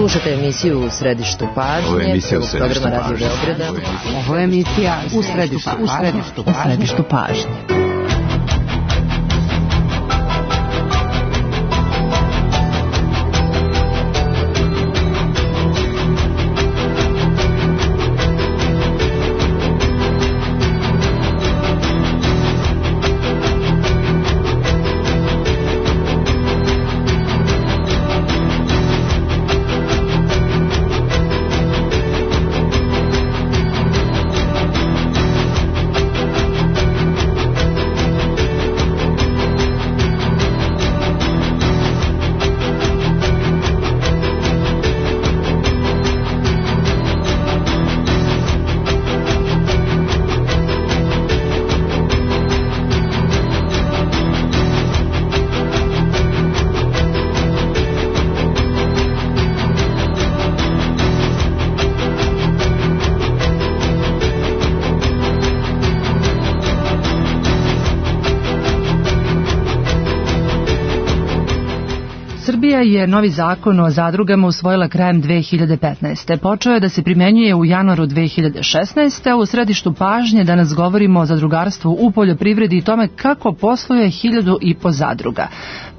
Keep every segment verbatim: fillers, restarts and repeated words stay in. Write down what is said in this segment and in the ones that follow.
Slušate emisiju U središtu pažnje. Ovo je emisija U središtu pažnje. Ovo je emisija U središtu pažnje. U središtu pažnje. Srbija je novi zakon o zadrugama usvojila krajem dve hiljade petnaeste. Počeo je da se primenjuje u januaru dve hiljade šesnaeste. A u središtu pažnje danas govorimo o zadrugarstvu u poljoprivredi i tome kako posluje hiljadu i po zadruga.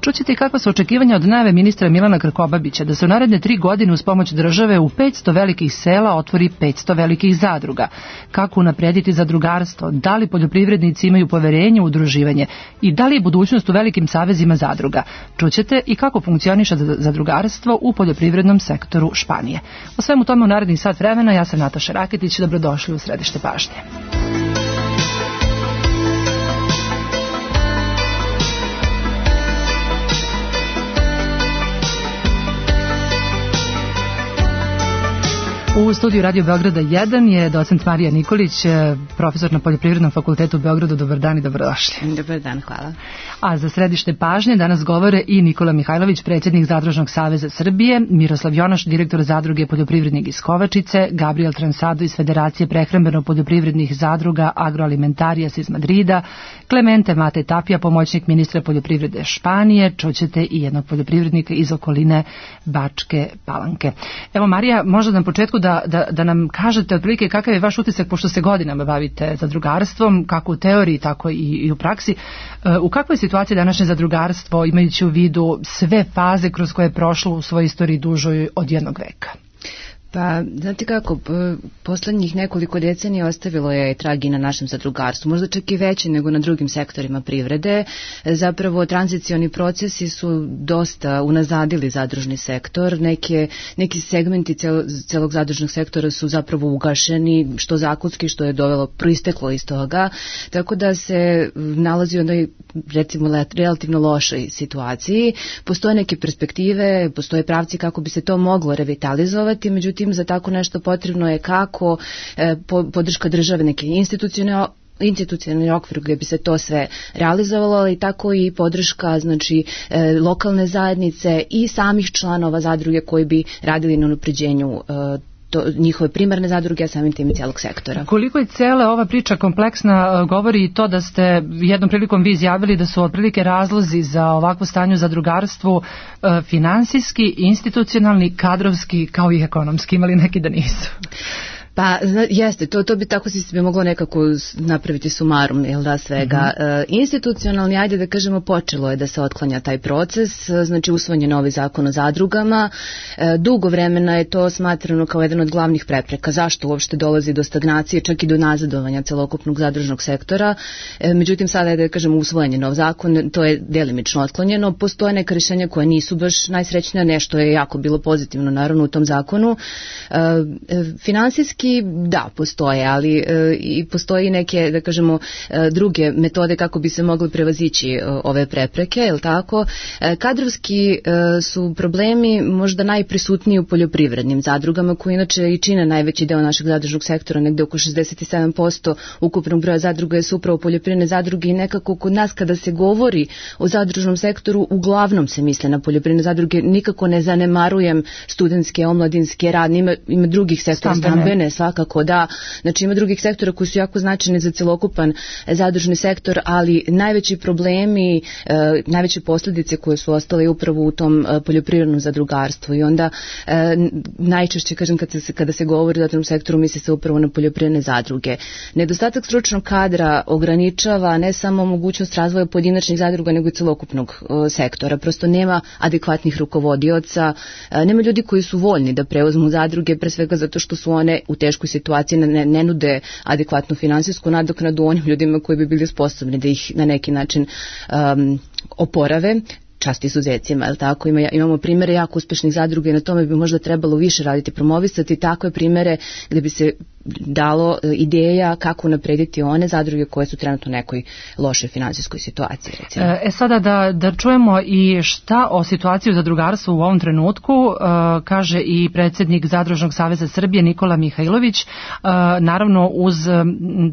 Čućete kakva su očekivanja od najave ministra Milana Krkobabića da se u naredne tri godine uz pomoć države u petsto velikih sela otvori petsto velikih zadruga. Kako unaprediti zadrugarstvo? Da li poljoprivrednici imaju poverenje u udruživanje? I da li je budućnost u velikim savezima zadruga? Čućete i kako funkcioniše zadrugarstvo u poljoprivrednom sektoru Španije. O svemu tome u narednih sat vremena. Ja sam Nataša Raketić. Dobrodošli u središte pažnje. U studiju Radio Beograda jedan je docent Marija Nikolić, profesor na Poljoprivrednom fakultetu u Beogradu. Dobar dan i dobrodošli. Dobar dan, hvala. A za središte pažnje danas govore i Nikola Mihajlović, predsjednik Zadružnog saveza Srbije, Miroslav Jonaš, direktor Zadruge poljoprivrednik iz Kovačice, Gabriel Transado iz Federacije prehrambeno-poljoprivrednih zadruga Agroalimentarijas iz Madrida, Clemente Mate Tapija, pomoćnik ministra poljoprivrede Španije, čućete i jednog poljoprivrednika iz okoline Bačke Palanke. Evo Marija, možda na početku da Da, da, da nam kažete otprilike kakav je vaš utisak, pošto se godinama bavite zadrugarstvom, kako u teoriji, tako i, i u praksi. U kakvoj situaciji današnje zadrugarstvo, imajući u vidu sve faze kroz koje je prošlo u svojoj istoriji dužoj od jednog veka? Pa, znate kako, poslednjih nekoliko decenija ostavilo je tragi na našem zadrugarstvu, možda čak i veće nego na drugim sektorima privrede. Zapravo, tranzicioni procesi su dosta unazadili zadružni sektor, neke, neki segmenti cel, celog zadružnog sektora su zapravo ugašeni, što zakonski, što je dovelo, proisteklo iz toga, tako da se nalazi u onoj, recimo, relativno lošoj situaciji. Postoje neke perspektive, postoje pravci kako bi se to moglo revitalizovati, međutim, za tako nešto potrebno je kako e, podrška države, neke institucionalne institucionalni okvir gdje bi se to sve realizovalo, ali tako i podrška, znači, e, lokalne zajednice i samih članova zadruge koji bi radili na unapređenju e, to, njihove primarne zadruge, a samim tim i cijelog sektora. Koliko je cijela ova priča kompleksna, govori i to da ste jednom prilikom vi izjavili da su otprilike razlozi za ovakvo stanje u zadrugarstvu e, finansijski, institucionalni, kadrovski, kao i ekonomski, imali neki da nisu? Pa jeste, to, to bi tako si bi moglo nekako napraviti sumarum, jel da, svega. Mm-hmm. E, institucionalni, ajde da kažemo, počelo je da se otklanja taj proces, znači usvojen je novi zakon o zadrugama. E, dugo vremena je to smatrano kao jedan od glavnih prepreka. Zašto uopšte dolazi do stagnacije, čak i do nazadovanja celokupnog zadružnog sektora. E, međutim, sada je da kažemo usvojen je nov zakon, to je delimično otklonjeno. Postoje neka rješenja koja nisu baš najsrećnija, nešto je jako bilo pozitivno naravno u tom zakonu. E, finansijski da, postoje, ali e, i postoji neke, da kažemo, e, druge metode kako bi se mogli prevazići e, ove prepreke, je li tako? E, kadrovski e, su problemi možda najprisutniji u poljoprivrednim zadrugama, koji inače i čine najveći deo našeg zadružnog sektora, negde oko šezdeset sedam posto ukupnog broja zadruga su upravo poljoprivredne zadruge i nekako kod nas kada se govori o zadružnom sektoru, uglavnom se misle na poljoprivredne zadruge, nikako ne zanemarujem studentske, omladinske, radne, ima, ima drugih sektora, stambene, svakako da, znači ima drugih sektora koji su jako značajni za celokupan zadružni sektor, ali najveći problemi, najveće posljedice koje su ostale upravo u tom poljoprivrednom zadrugarstvu i onda najčešće, kažem, kada se, kada se govori o zadružnom sektoru, misli se upravo na poljoprivredne zadruge. Nedostatak stručnog kadra ograničava ne samo mogućnost razvoja pojedinačnih zadruga, nego i celokupnog sektora. Prosto nema adekvatnih rukovodioca, nema ljudi koji su voljni da preuzmu zadruge, pre svega zato što su one u teškoj situaciji, ne, ne nude adekvatnu finansijsku nadoknadu onim ljudima koji bi bili sposobni da ih na neki način um, oporave. Čast izuzecima, je li tako? Ima, imamo primere jako uspešnih zadruga i na tome bi možda trebalo više raditi, promovisati takve primere gdje bi se dalo ideja kako naprediti one zadruge koje su trenutno u nekoj lošoj finansijskoj situaciji. Recimo. E sada da, da čujemo i šta o situaciji u zadrugarstvu u ovom trenutku e, kaže i predsjednik Zadružnog saveza Srbije Nikola Mihajlović. E, naravno uz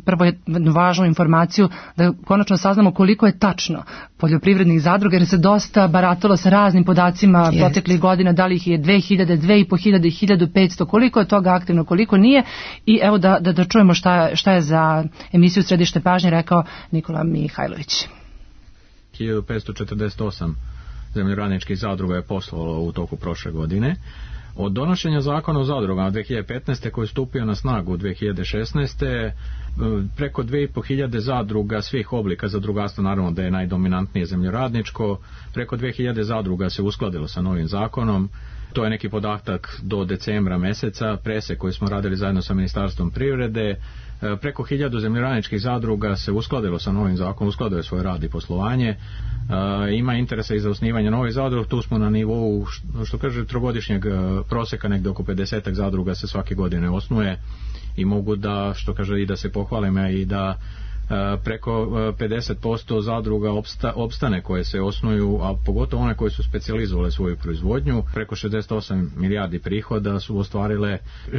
prvo jednu važnu informaciju da konačno saznamo koliko je tačno poljoprivrednih zadruga, jer se dosta baratalo sa raznim podacima yes. proteklih godina, da li ih je dve hiljade, dve i po hiljade, hiljadu petsto, koliko je toga aktivno, koliko nije. I evo da, da, da čujemo šta, šta je za emisiju Središte pažnje rekao Nikola Mihajlović. hiljadu petsto četrdeset osam zemljoradničkih zadruga je poslovalo u toku prošle godine. Od donošenja zakona o zadrugama dvije hiljade petnaeste koji je stupio na snagu dvije hiljade šesnaeste preko dve i po hiljade zadruga svih oblika zadrugarstva, naravno da je najdominantnije zemljoradničko, preko dve hiljade zadruga se uskladilo sa novim zakonom. To je neki podatak do decembra meseca, presek koji smo radili zajedno sa Ministarstvom privrede. Preko hiljadu zemljoradničkih zadruga se uskladilo sa novim zakonom, uskladilo je svoj rad i poslovanje. Ima interesa i za osnivanje novih zadruga, tu smo na nivou, što kaže, trogodišnjeg proseka, negdje oko pedesetak zadruga se svake godine osnuje i mogu da, što kaže, i da se pohvalim i da preko pedeset posto zadruga opsta, opstane koje se osnuju, a pogotovo one koje su specijalizovale svoju proizvodnju. Preko šezdeset osam milijardi prihoda su ostvarile,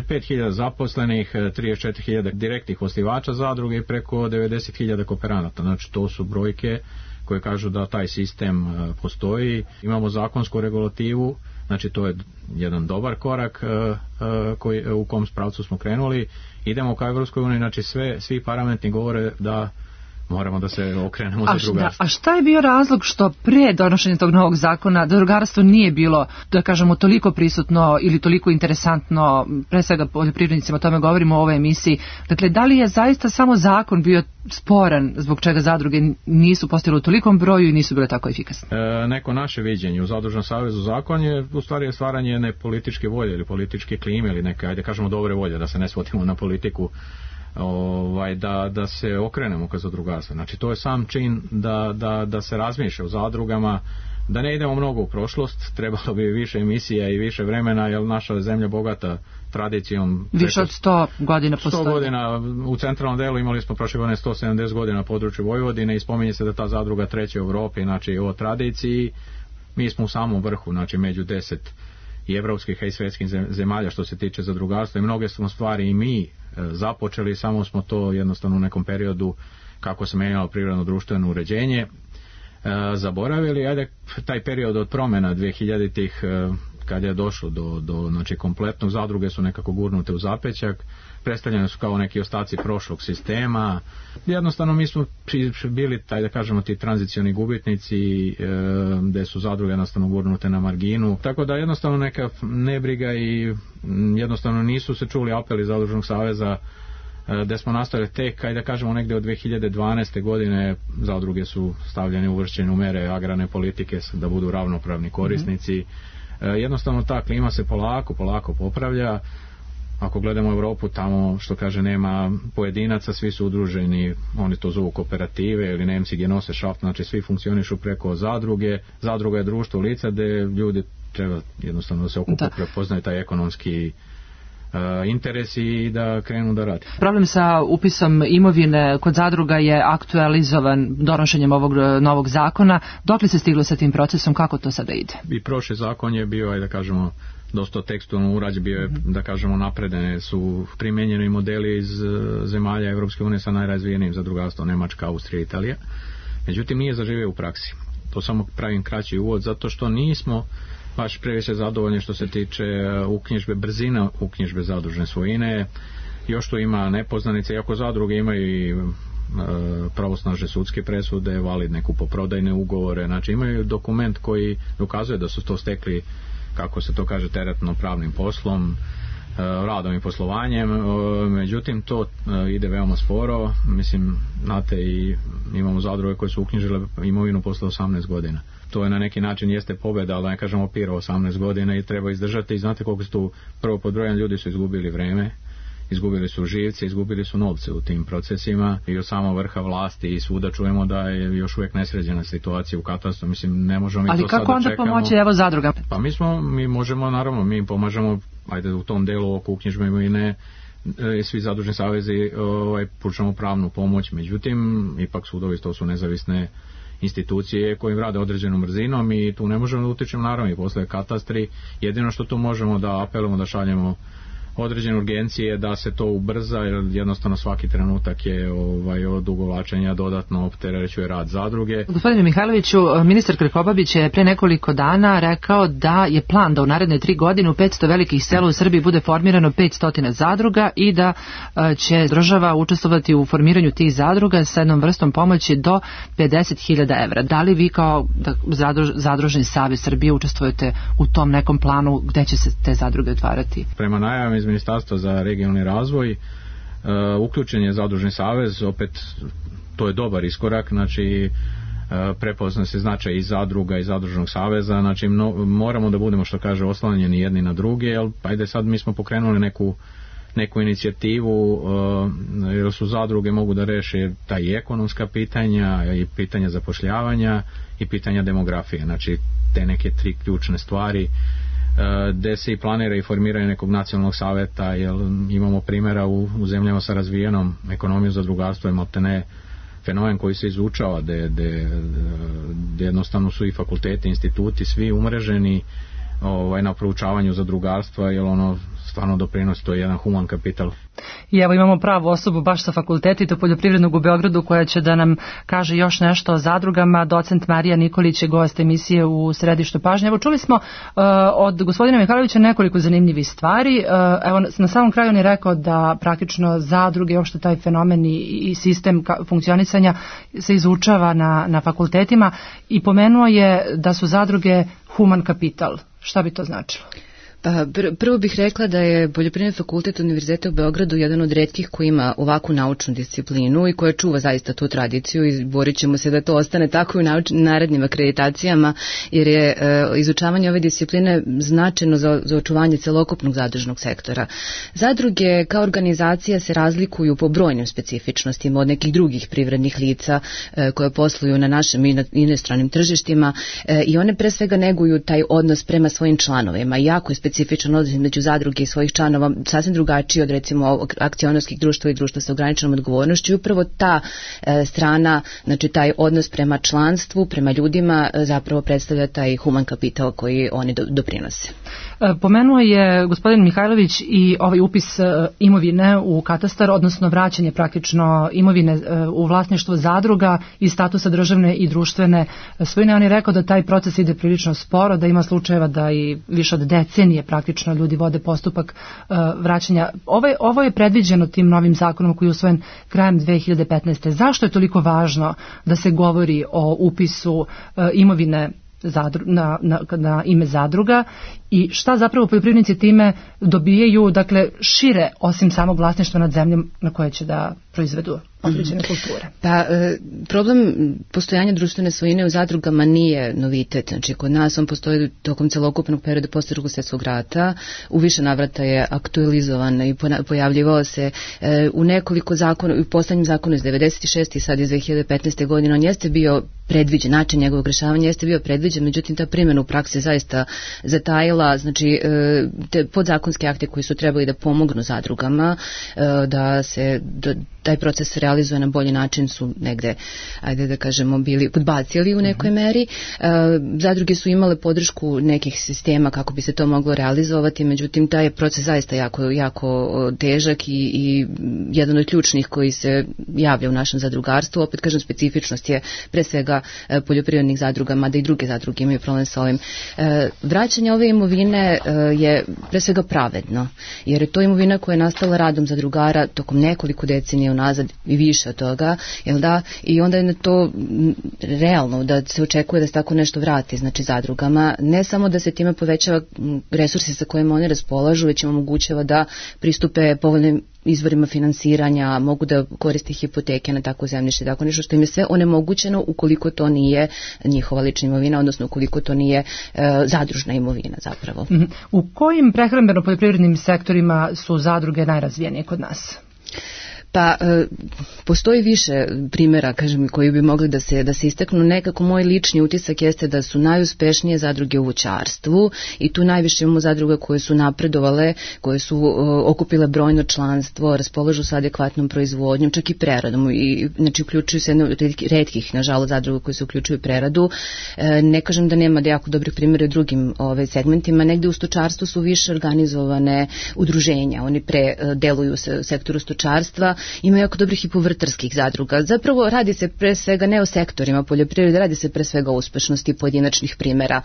pet hiljada zaposlenih, trideset četiri hiljade direktnih osnivača zadruge i preko devedeset hiljada kooperanata. Znači to su brojke koje kažu da taj sistem postoji. Imamo zakonsku regulativu, znači to je jedan dobar korak koji, u kom pravcu smo krenuli. Idemo ka Evropskoj uniji, znači sve, svi parametri govore da moramo da se okrenemo a za drugarstvo. A šta je bio razlog što pre donošenja tog novog zakona zadrugarstvo nije bilo, da kažemo, toliko prisutno ili toliko interesantno, pre svega poljoprivrednicima, o tome govorimo u ovoj emisiji. Dakle, da li je zaista samo zakon bio sporan zbog čega zadruge nisu postojale u tolikom broju i nisu bile tako efikasne? E, neko naše viđenje u Zadružnom savezu zakon je u stvari stvaranje jedne političke volje ili političke klime ili neke, ajde kažemo, dobre volje, da se ne svodimo na politiku, ovaj, da, da se okrenemo ka zadrugarstvu. Znači to je sam čin da, da, da se razmišlja o zadrugama, da ne idemo mnogo u prošlost, trebalo bi više emisija i više vremena, jer naša zemlja bogata tradicijom. Više od sto godina postoji. sto godina u centralnom delu, imali smo prošle godine sto sedamdeset godina na području Vojvodine i spominje se da ta zadruga treća u Evropi, znači o tradiciji. Mi smo u samom vrhu, znači među deset i evropskih i svjetskih zemalja što se tiče zadrugarstva i mnoge smo stvari i mi započeli, samo smo to jednostavno u nekom periodu kako se menjalo privredno društveno uređenje zaboravili. Ajde, taj period od promjena dvije hiljaditih kad je došlo do, do znači kompletnog, zadruge su nekako gurnute u zapećak, predstavljene su kao neki ostaci prošlog sistema. Jednostavno mi smo bili, taj da kažemo, ti tranzicioni gubitnici, e, gde su zadruge jednostavno gurnute na marginu. Tako da jednostavno neka nebriga i jednostavno nisu se čuli apeli Zadružnog saveza, e, gde smo nastavili tek, kaj da kažemo, negde od dve hiljade dvanaeste godine zadruge su stavljene uvršćene u mere agrarne politike da budu ravnopravni korisnici. E, jednostavno ta klima se polako, polako popravlja. Ako gledamo Evropu, tamo, što kaže, nema pojedinaca, svi su udruženi, oni to zovu kooperative ili Nemci Genossenschaft, znači svi funkcionišu preko zadruge. Zadruga je društvo lica gde ljudi treba jednostavno da se okupe, prepoznaju taj ekonomski uh, interes i da krenu da radi. Problem sa upisom imovine kod zadruga je aktualizovan donošenjem ovog novog zakona. Dokle se stiglo sa tim procesom, kako to sada ide? I prošli zakon je bio, ajde da kažemo, dosta tekstualno urađen, bio je, da kažemo, napredene su primjenjeni modeli iz zemalja Evropske unije sa najrazvijenijim zadrugarstvom, Nemačka, Austrija, Italija. Međutim, nije zaživio u praksi. To samo pravim kraći uvod, zato što nismo baš previše zadovoljni što se tiče uknjižbe, brzina uknjižbe zadružne svojine. još tu ima nepoznanice, iako zadruge imaju i pravosnažne sudske presude, validne kupoprodajne ugovore, znači imaju dokument koji dokazuje da su to stekli, kako se to kaže, teretno pravnim poslom, radom i poslovanjem, međutim to ide veoma sporo. Mislim, znate, i imamo zadruge koje su uknjižile imovinu posle osamnaest godina. To je na neki način jeste pobjeda, ali da ne kažemo pira osamnaest godina i treba izdržati. I znate koliko su tu, prvo pod brojem, ljudi su izgubili vreme, izgubili su živce, izgubili su novce u tim procesima i od samog vrha vlasti i svuda čujemo da je još uvijek nesređena situacija u katastru. Mislim, ne možemo mi ali to sada čekamo. Ali kako onda pomoći evo zadruga? Pa mi smo, mi možemo, naravno, mi pomažemo, ajde, u tom delu oko uknjižbe imovine, svi zadružni savezi ovaj, pružamo pravnu pomoć, međutim, ipak sudovi to su nezavisne institucije kojim rade određenom brzinom i tu ne možemo da utičemo, naravno, i posle katastri. Jedino što tu možemo da apelujemo, da šaljemo određene urgencije da se to ubrza, jer jednostavno svaki trenutak je ovaj, od ugovlačenja dodatno opterećuje rad zadruge. Gospodine Mihajloviću, ministar Krkobabić je pre nekoliko dana rekao da je plan da u naredne tri godine u petsto velikih sela u Srbiji bude formirano petsto zadruga i da će država učestvovati u formiranju tih zadruga sa jednom vrstom pomoći do pedeset hiljada evra. Da li vi kao zadruž, Zadružni savez Srbije učestvujete u tom nekom planu gde će se te zadruge otvarati? Prema najavama iz Ministarstva za regionalni razvoj uh, uključen je Zadružni savez, opet to je dobar iskorak, znači uh, prepozna se značaj i zadruga i Zadružnog saveza, znači no, moramo da budemo, što kaže, oslanjeni jedni na druge, jer ajde sad mi smo pokrenuli neku neku inicijativu, uh, jer su zadruge mogu da reše ta i ekonomska pitanja i pitanja zapošljavanja i pitanja demografije, znači te neke tri ključne stvari gde se i planira i formiranje nekog nacionalnog saveta, jer imamo primjera u, u zemljama sa razvijenom ekonomijom zadrugarstva, imate ne fenomen koji se izučava, gde, gde, gde jednostavno su i fakulteti, instituti, svi umreženi ovaj, na proučavanju zadrugarstva, jer ono stvarno doprinosi, to je jedan human kapital. I evo imamo pravu osobu baš sa fakulteta poljoprivrednog u Beogradu koja će da nam kaže još nešto o zadrugama. Docent Marija Nikolić je gost emisije u Središtu pažnje. Evo čuli smo uh, od gospodina Mihajlovića nekoliko zanimljivih stvari. Uh, evo na samom kraju on je rekao da praktično zadruge, uopšte taj fenomen i, i sistem ka, funkcionisanja se izučava na, na fakultetima i pomenuo je da su zadruge human kapital. Šta bi to značilo? Pa, prvo bih rekla da je Poljoprivredni fakultet Univerziteta u Beogradu jedan od retkih koji ima ovakvu naučnu disciplinu i koja čuva zaista tu tradiciju i borit ćemo se da to ostane tako i u nauč, narednim akreditacijama, jer je e, izučavanje ove discipline značajno za, za očuvanje celokupnog zadružnog sektora. Zadruge kao organizacija se razlikuju po brojnim specifičnostima od nekih drugih privrednih lica e, koje posluju na našim i na inostranim tržištima e, i one pre svega neguju taj odnos prema svojim članovima. Jako je specifičan odnos među zadruge i svojih članova, sasvim drugačiji od recimo akcionarskih društva i društva sa ograničenom odgovornošću. Upravo ta e, strana, znači taj odnos prema članstvu, prema ljudima e, zapravo predstavlja taj human kapital koji oni do, doprinose. Pomenuo je gospodin Mihajlović i ovaj upis imovine u katastar, odnosno vraćanje praktično imovine u vlasništvo zadruga i statusa državne i društvene svojine. On je rekao da taj proces ide prilično sporo, da ima slučajeva da i više od decenije praktično ljudi vode postupak vraćanja. Ovo je, ovo je predviđeno tim novim zakonom koji je usvojen krajem dve hiljade petnaeste. Zašto je toliko važno da se govori o upisu imovine Zadru, na, na, na ime zadruga i šta zapravo poljoprivrednici time dobijaju, dakle šire osim samog vlasništva nad zemljom na koje će da proizvedu određene kulture? Pa problem postojanja društvene svojine u zadrugama nije novitet, znači kod nas on postoji tokom celokupnog perioda posle Drugog svjetskog rata, u više navrata je aktualizovan i pojavljivao se u nekoliko zakona, u poslednjem zakonu iz devedeset šeste i sad iz dve hiljade petnaeste godine, on jeste bio predviđen, način njegovog rešavanja jeste bio predviđen, međutim ta primjena u praksi zaista zatajila, znači te podzakonske akte koji su trebali da pomognu zadrugama da se da taj proces se realizuje na bolji način su negde, ajde da kažemo, bili podbacili u nekoj meri. Zadruge su imale podršku nekih sistema kako bi se to moglo realizovati, međutim taj je proces zaista jako, jako težak i, i jedan od ključnih koji se javlja u našem zadrugarstvu. Opet kažem, specifičnost je pre svega poljoprivrednih zadruga, mada i druge zadruge imaju problem sa ovim. Vraćanje ove imovine je pre svega pravedno, jer je to imovina koja je nastala radom zadrugara tokom nekoliko decenija unazad i više od toga, jel da? I onda je to realno da se očekuje da se tako nešto vrati, znači zadrugama, ne samo da se time povećava resursi sa kojima oni raspolažu, već im omogućava da pristupe povoljnim izvorima finansiranja, mogu da koriste hipoteke na tako zemljište, tako nešto što im je sve onemogućeno ukoliko to nije njihova lična imovina, odnosno ukoliko to nije e, zadružna imovina zapravo. U kojim prehrambeno-poljoprivrednim sektorima su zadruge najrazvijenije kod nas? Pa e, postoji više primjera, kažem, koji bi mogli da se da se istaknu. Nekako moj lični utisak jeste da su najuspešnije zadruge u voćarstvu i tu najviše imamo zadruga koje su napredovale, koje su e, okupile brojno članstvo, raspolažu sa adekvatnom proizvodnjom, čak i preradom, i znači uključuju se jedno od retkih, nažalost, zadruga koje se uključuju u preradu. E, ne kažem da nema da jako dobrih primjera u drugim ove segmentima. Negde u stočarstvu su više organizovane udruženja, oni pre e, deluju se u sektoru stočarstva. Ima jako dobrih i povrtarskih zadruga. Zapravo radi se pre svega ne o sektorima poljoprivrede, radi se pre svega o uspešnosti pojedinačnih primjera.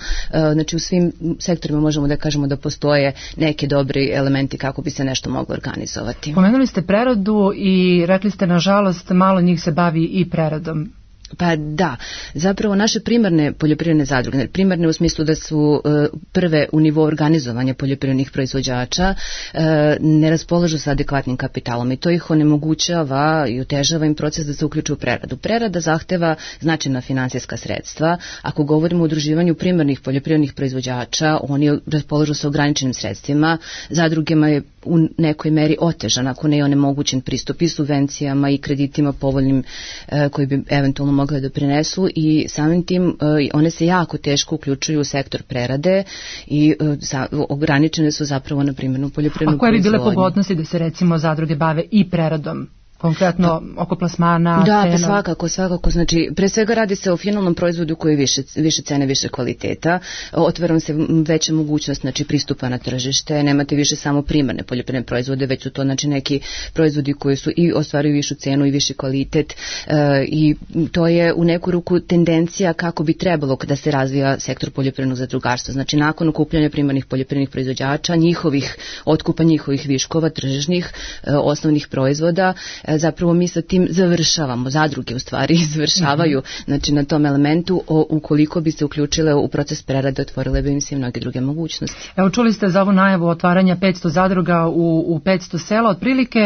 Znači u svim sektorima možemo da kažemo da postoje neki dobri elementi kako bi se nešto moglo organizovati. Pomenuli ste preradu i rekli ste nažalost malo njih se bavi i preradom. Pa da, zapravo naše primarne poljoprivredne zadruge, primarne u smislu da su e, prve u nivou organizovanja poljoprivrednih proizvođača, e, ne raspolažu sa adekvatnim kapitalom i to ih onemogućava i otežava im proces da se uključu u preradu. Prerada zahteva značajna finansijska sredstva. Ako govorimo o udruživanju primarnih poljoprivrednih proizvođača, oni raspolažu sa ograničenim sredstvima. Zadrugama je u nekoj meri otežan, ako ne je onemogućen pristup i subvencijama i kreditima povoljnim e, koji bi eventualno mogli da prinesu i samim tim uh, one se jako teško uključuju u sektor prerade i uh, sa, ograničene su zapravo na primjernu poljoprivrednu proizvodnju. A koje bi bile pogodnosti da se recimo zadruge bave i preradom? Konkretno oko plasmana, da, cena. Pa svakako, svakako. Znači, pre svega radi se o finalnom proizvodu koji je više, više cene, više kvaliteta. Otvara se veća mogućnost, znači, pristupa na tržište. Nemate više samo primarne poljoprivredne proizvode, već su to, znači, neki proizvodi koji su i ostvaruju višu cenu i viši kvalitet. E, I to je u neku ruku tendencija kako bi trebalo da se razvija sektor poljoprivrednog zadrugarstva. Znači, nakon okupljanja primarnih poljoprivrednih proizvođača, njihovih otkupa njihovih viškova, tržišnih, e, osnovnih proizvoda, zapravo mi sa tim završavamo, zadruge u stvari završavaju, mm-hmm. znači na tom elementu, o, ukoliko bi se uključile u proces prerade, otvorile bi im se i mnoge druge mogućnosti. Evo, čuli ste za ovu najavu otvaranja petsto zadruga u, u petsto sela, otprilike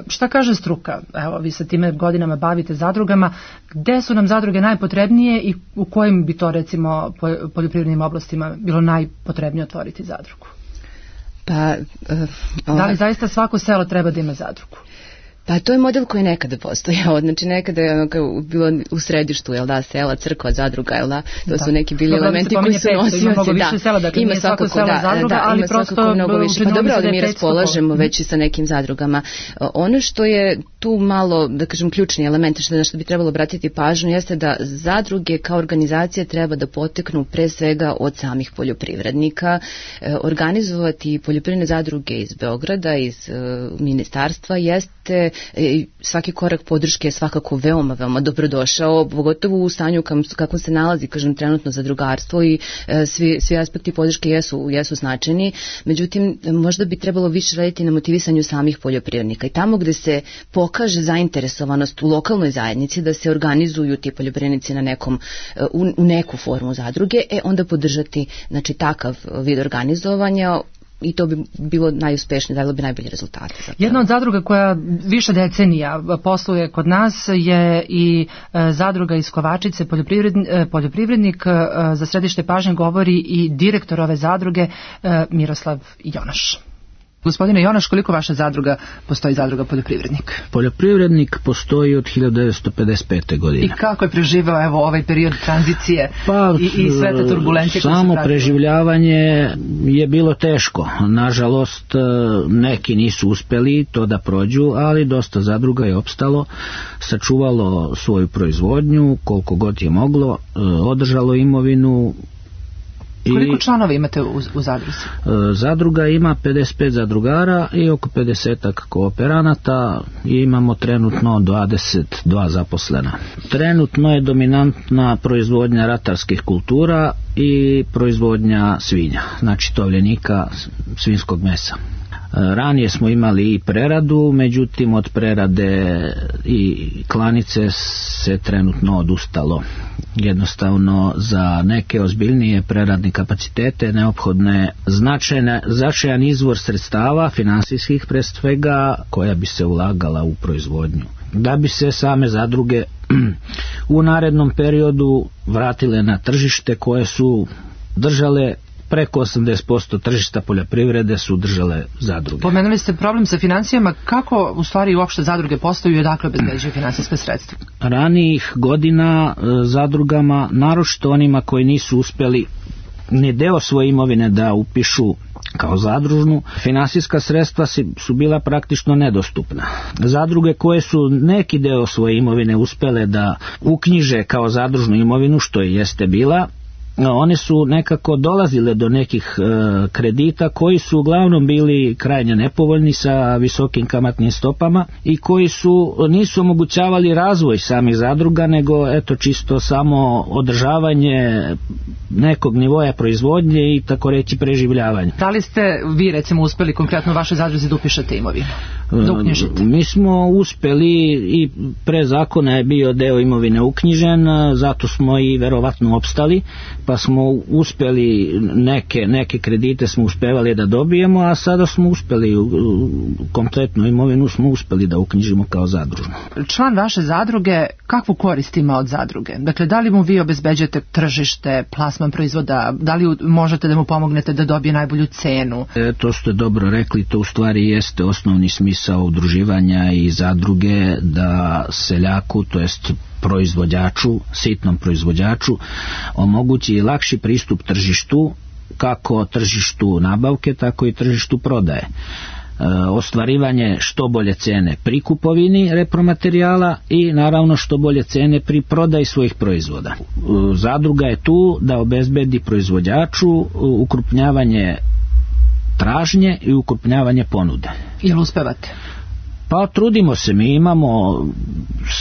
šta kaže struka? Evo, vi se time godinama bavite zadrugama, gde su nam zadruge najpotrebnije i u kojim bi to recimo poljoprivrednim oblastima bilo najpotrebnije otvoriti zadrugu? Pa, uh, da li zaista svako selo treba da ima zadrugu? Pa to je model koji je nekada postojao, znači nekada je ono bilo u središtu, jel da, sela, crkva, zadruga, jel da, to da. su neki bili dobro, elementi koji su nosioci, da, sela, dakle, ima svakako, sela da, zadruga, da, ali ima svakako mnogo više, pa dobro, ali mi raspolažemo već i sa nekim zadrugama. Ono što je tu malo, da kažem, ključni element, što na što bi trebalo obratiti pažnju, jeste da zadruge kao organizacije treba da poteknu pre svega od samih poljoprivrednika, organizovati poljoprivredne zadruge iz Beograda, iz uh, ministarstva, jeste svaki korak podrške je svakako veoma, veoma dobrodošao, pogotovo u stanju kako se nalazi, kažem, trenutno zadrugarstvo i e, svi, svi aspekti podrške jesu, jesu značajni, međutim, možda bi trebalo više raditi na motivisanju samih poljoprivrednika i tamo gde se pokaže zainteresovanost u lokalnoj zajednici da se organizuju ti poljoprivrednici na nekom, u, u neku formu zadruge, e onda podržati, znači, takav vid organizovanja i to bi bilo najuspešnije, dalo bi najbolje rezultate. Zapravo. Jedna od zadruga koja više decenija posluje kod nas je i zadruga iz Kovačice, poljoprivrednik, poljoprivrednik za središte pažnje govori i direktor ove zadruge Miroslav Jonaš. Gospodine Jonaš, koliko vaša zadruga postoji, zadruga Poljoprivrednik? Poljoprivrednik postoji od hiljadu devetsto pedeset pete. godine. I kako je preživao evo ovaj period tranzicije pa, i, i sve te turbulencije? Samo preživljavanje je bilo teško. Nažalost, neki nisu uspeli to da prođu, ali dosta zadruga je opstalo, sačuvalo svoju proizvodnju koliko god je moglo, održalo imovinu. Koliko članova imate u, u zadruzi? Zadruga ima pedeset pet zadrugara i oko pedeset kooperanata i imamo trenutno dvadeset dva zaposlena. Trenutno je dominantna proizvodnja ratarskih kultura i proizvodnja svinja, znači tovljenika, svinjskog mesa. Ranije smo imali i preradu, međutim od prerade i klanice se trenutno odustalo. Jednostavno za neke ozbiljnije preradne kapacitete neophodne značajna, značajan izvor sredstava, finansijskih pre svega, koja bi se ulagala u proizvodnju. Da bi se same zadruge u narednom periodu vratile na tržište koje su držale preko osamdeset posto tržišta poljoprivrede su držale zadruge. Pomenuli ste problem sa financijama, kako u stvari uopšte zadruge postaju i odakle obezbeđuju finansijska sredstva? Ranijih godina zadrugama, naročito onima koji nisu uspjeli ni deo svoje imovine da upišu kao zadružnu, finansijska sredstva su bila praktično nedostupna. Zadruge koje su neki deo svoje imovine uspjele da uknjiže kao zadružnu imovinu, što je jeste bila, one su nekako dolazile do nekih e, kredita koji su uglavnom bili krajnje nepovoljni sa visokim kamatnim stopama i koji su nisu omogućavali razvoj samih zadruga, nego eto čisto samo održavanje nekog nivoja proizvodnje i tako reći preživljavanje. Da li ste vi recimo uspjeli konkretno u vašoj zadruzi da upišete imovinu? Da uknjižite? Mi smo uspjeli i pre zakona je bio deo imovine uknjižen, zato smo i verovatno opstali, pa smo uspjeli neke, neke kredite smo uspevali da dobijemo, a sada smo uspjeli kompletnu imovinu smo uspjeli da uknjižimo kao zadružnu. Član vaše zadruge kakvu korist ima od zadruge? Dakle, da li mu vi obezbeđujete tržište, plasman proizvoda, da li možete da mu pomognete da dobije najbolju cenu? E, to ste dobro rekli, to u stvari jeste osnovni smisao udruživanja i zadruge, da seljaku, to jest proizvođaču, sitnom proizvođaču, omogući lakši pristup tržištu, kako tržištu nabavke, tako i tržištu prodaje. E, ostvarivanje što bolje cene pri kupovini repromaterijala i naravno što bolje cene pri prodaji svojih proizvoda. E, zadruga je tu da obezbedi proizvođaču ukrupnjavanje tražnje i ukrupnjavanje ponude. Jel uspevate? Pa trudimo se, mi imamo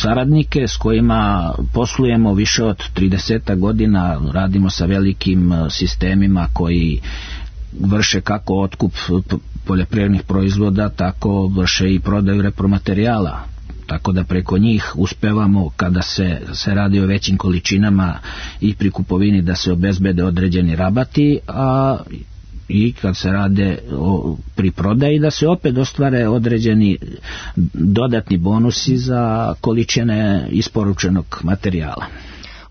saradnike s kojima poslujemo više od trideset godina, radimo sa velikim sistemima koji vrše kako otkup poljoprivrednih proizvoda, tako vrše i prodaju repromaterijala. Tako da preko njih uspevamo, kada se, se radi o većim količinama i pri kupovini, da se obezbede određeni rabati, a i kad se rade o, pri prodaji, da se opet ostvare određeni dodatni bonusi za količine isporučenog materijala.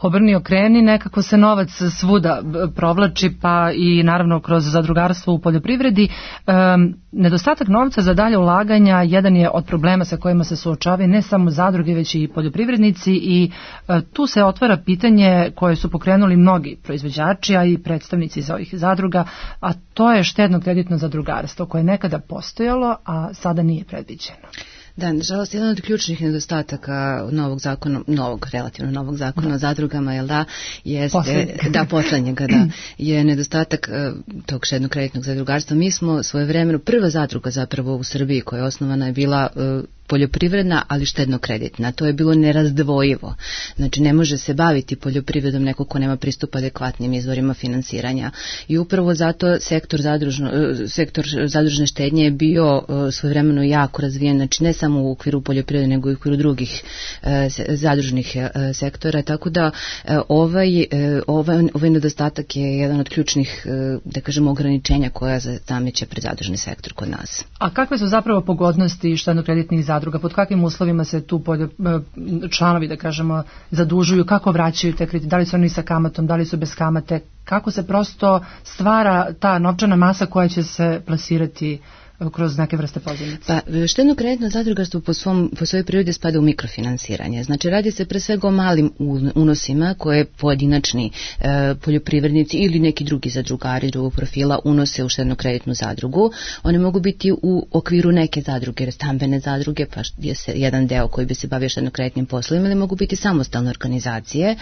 Obrni okreni, nekako se novac svuda provlači, pa i naravno kroz zadrugarstvo u poljoprivredi. E, nedostatak novca za dalje ulaganja jedan je od problema sa kojima se suočavaju ne samo zadruge, već i poljoprivrednici i e, tu se otvara pitanje koje su pokrenuli mnogi proizvođači, a i predstavnici za ovih zadruga, a to je štedno-kreditno zadrugarstvo koje je nekada postojalo, a sada nije predviđeno. Da, nažalost, jedan od ključnih nedostataka novog zakona, novog, relativno novog zakona da. o zadrugama, jel da, jeste, poslednjega. da, poslednjega, da, je nedostatak uh, tog štedno-kreditnog zadrugarstva. Mi smo svojevremeno, prva zadruga zapravo u Srbiji koja je osnovana je bila uh, poljoprivredna, ali štedno-kreditna. To je bilo nerazdvojivo. Znači, ne može se baviti poljoprivredom neko ko nema pristup adekvatnim izvorima finansiranja. I upravo zato sektor, zadružno, sektor zadružne štednje je bio svojevremeno jako razvijen, znači ne samo u okviru poljoprivrede, nego i u okviru drugih zadružnih sektora. Tako da ovaj, ovaj, ovaj nedostatak je jedan od ključnih, da kažemo, ograničenja koja zameće pred zadružni sektor kod nas. A kakve su zapravo pogodnosti štedno-kreditnih zadruga? Pod kakvim uslovima se tu poljo, članovi, da kažemo, zadužuju, kako vraćaju te kredite, da li su oni sa kamatom, da li su bez kamate, kako se prosto stvara ta novčana masa koja će se plasirati kroz neke vrste pozivnice? Pa, štedno-kreditno zadrugarstvo po, svom, po svojoj prirodi spada u mikrofinansiranje. Znači, radi se pre svega o malim unosima koje pojedinačni e, poljoprivrednici ili neki drugi zadrugari drugog profila unose u štedno-kreditnu zadrugu. One mogu biti u okviru neke zadruge, stambene zadruge, pa je se jedan deo koji bi se bavio štedno-kreditnim poslovima, ili mogu biti samostalne organizacije. E,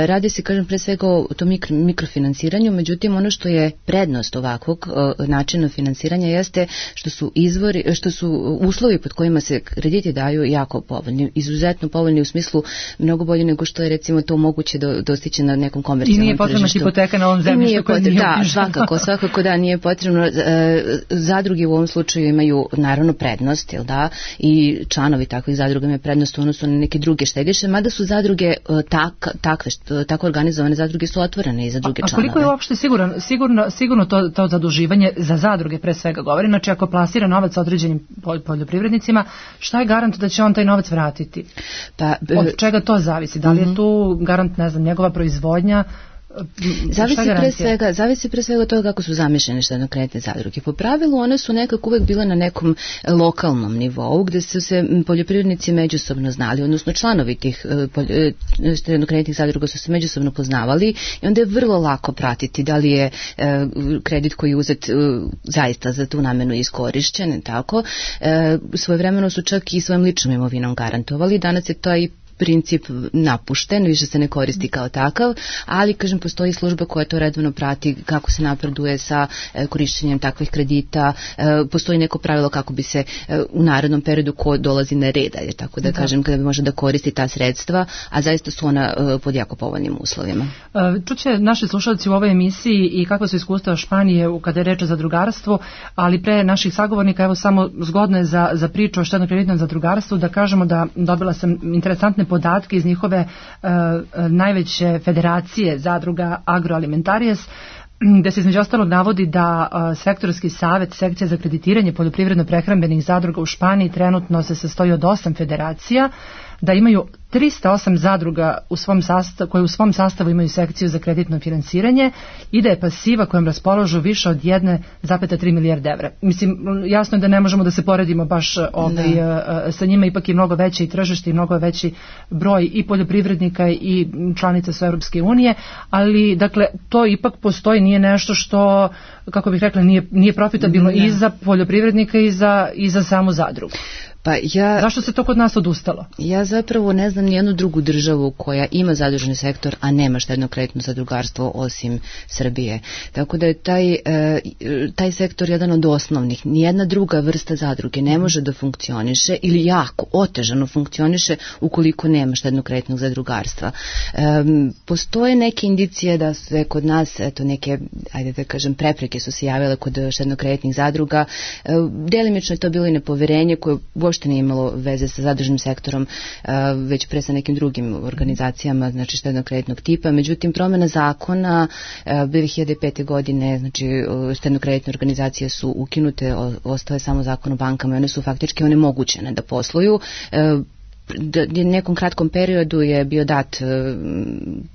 radi se, kažem, pre svega o tom mikro, mikrofinansiranju, međutim, ono što je prednost ovakvog e, načina finansiranja jeste što su izvori, što su uslovi pod kojima se krediti daju jako povoljni, izuzetno povoljni u smislu mnogo bolje nego što je recimo to moguće do, dostići na nekom komercijalnom tržištu. I nije potrebna hipoteka na ovom zemljištu koje nije Da, svakako, svakako da nije potrebno. Zadruge u ovom slučaju imaju naravno prednost, jel da, i članovi takvih zadruga imaju prednost u odnosu na neke druge štediše, mada su zadruge tak, takve, tako organizovane zadruge su otvorene i za druge članove. A koliko je uopšte sigurno, sigurno, sigurno to, to zaduživanje za zadruge pre svega govori, znači ako plasira novac određenim poljoprivrednicima, šta je garant da će on taj novac vratiti? Pa, od čega to zavisi? Da li je tu garant, ne znam, njegova proizvodnja? Zavisi pre svega, zavisi pre svega od toga kako su zamišljene štedno-kreditne zadruge. Po pravilu one su nekako uvek bile na nekom lokalnom nivou gde su se poljoprivrednici međusobno znali, odnosno članovi tih štedno-kreditnih zadruga su se međusobno poznavali i onda je vrlo lako pratiti da li je kredit koji je uzet zaista za tu namenu iskorišćen, tako. Svojevremeno su čak i svojim ličnom imovinom garantovali. Danas je to i princip napušten, više se ne koristi kao takav, ali, kažem, postoji služba koja to redovno prati kako se napreduje sa e, korišćenjem takvih kredita, e, postoji neko pravilo kako bi se e, u narednom periodu ko dolazi na red, je tako da, da kažem, kada bi može da koristi ta sredstva, a zaista su ona e, pod jako povoljnim uslovima. Čuće naši slušalci u ovoj emisiji i kakva su iskustva Španije kada je reč o zadrugarstvu, ali pre naših sagovornika, evo samo zgodno je za, za priču o štedno-kreditnom zadrugarstvu da kažemo da dobila sam interesantne podatke iz njihove uh, najveće federacije zadruga Agroalimentaries, gde se između ostalog navodi da uh, sektorski savet sekcija za kreditiranje poljoprivredno-prehrambenih zadruga u Španiji trenutno se sastoji od osam federacija, da imaju trista osam zadruga u svom sastavu, koje u svom sastavu imaju sekciju za kreditno finansiranje i da je pasiva kojom raspolažu više od jedna zarez tri milijarde evra. Mislim, jasno je da ne možemo da se poredimo baš ovaj, sa njima, ipak je mnogo veće i tržište i mnogo veći broj i poljoprivrednika i članica su Europske unije, ali dakle to ipak postoji, nije nešto što, kako bih rekla, nije, nije profitabilno ne. i za poljoprivrednika i za, i za samu zadrugu. Pa ja, zašto se to kod nas odustalo? Ja zapravo ne znam nijednu drugu državu koja ima zadružni sektor, a nema štedno-kreditno zadrugarstvo osim Srbije. Tako da je taj, e, taj sektor jedan od osnovnih. Nijedna druga vrsta zadruge ne može da funkcioniše ili jako otežano funkcioniše ukoliko nema štedno-kreditnog zadrugarstva. E, postoje neke indicije da se kod nas, eto neke, ajde da kažem, prepreke su se javile kod štedno-kreditnih zadruga. E, delimično je to bilo i nepoverenje koje uopšte nije imalo veze sa zadružnim sektorom, već pre sa nekim drugim organizacijama, znači štedno-kreditnog tipa. Međutim, promjena zakona dve hiljade pete. godine, znači štedno-kreditne organizacije su ukinute, ostao je samo zakon o bankama i one su faktički onemogućene da posluju. U nekom kratkom periodu je bio dat e,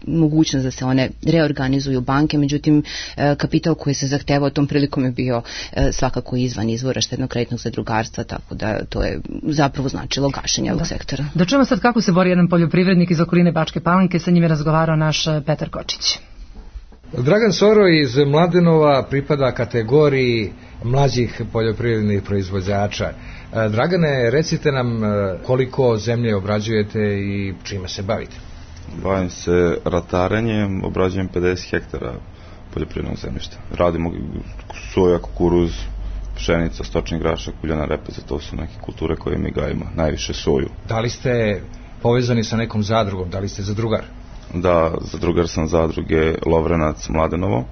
mogućnost da se one reorganizuju banke, međutim e, kapital koji se zahtevao tom prilikom je bio e, svakako izvan izvora štedno-kreditnog zadrugarstva, tako da to je zapravo značilo gašenje ovog sektora. Da čujemo sad kako se bori jedan poljoprivrednik iz okoline Bačke Palanke, sa njim je razgovarao naš Petar Kočić. Dragan Soro iz Mladenova pripada kategoriji mlađih poljoprivrednih proizvođača. Dragane, recite nam koliko zemlje obrađujete i čime se bavite? Bavim se ratarenjem, obrađujem pedeset hektara poljoprivrednog zemljišta. Radimo soja, kukuruz, pšenica, stočni grašak, uljana repica, to su neke kulture koje mi gajimo, najviše soju. Da li ste povezani sa nekom zadrugom, da li ste zadrugar? Da, zadrugar sam zadruge Lovrenac Mladenovo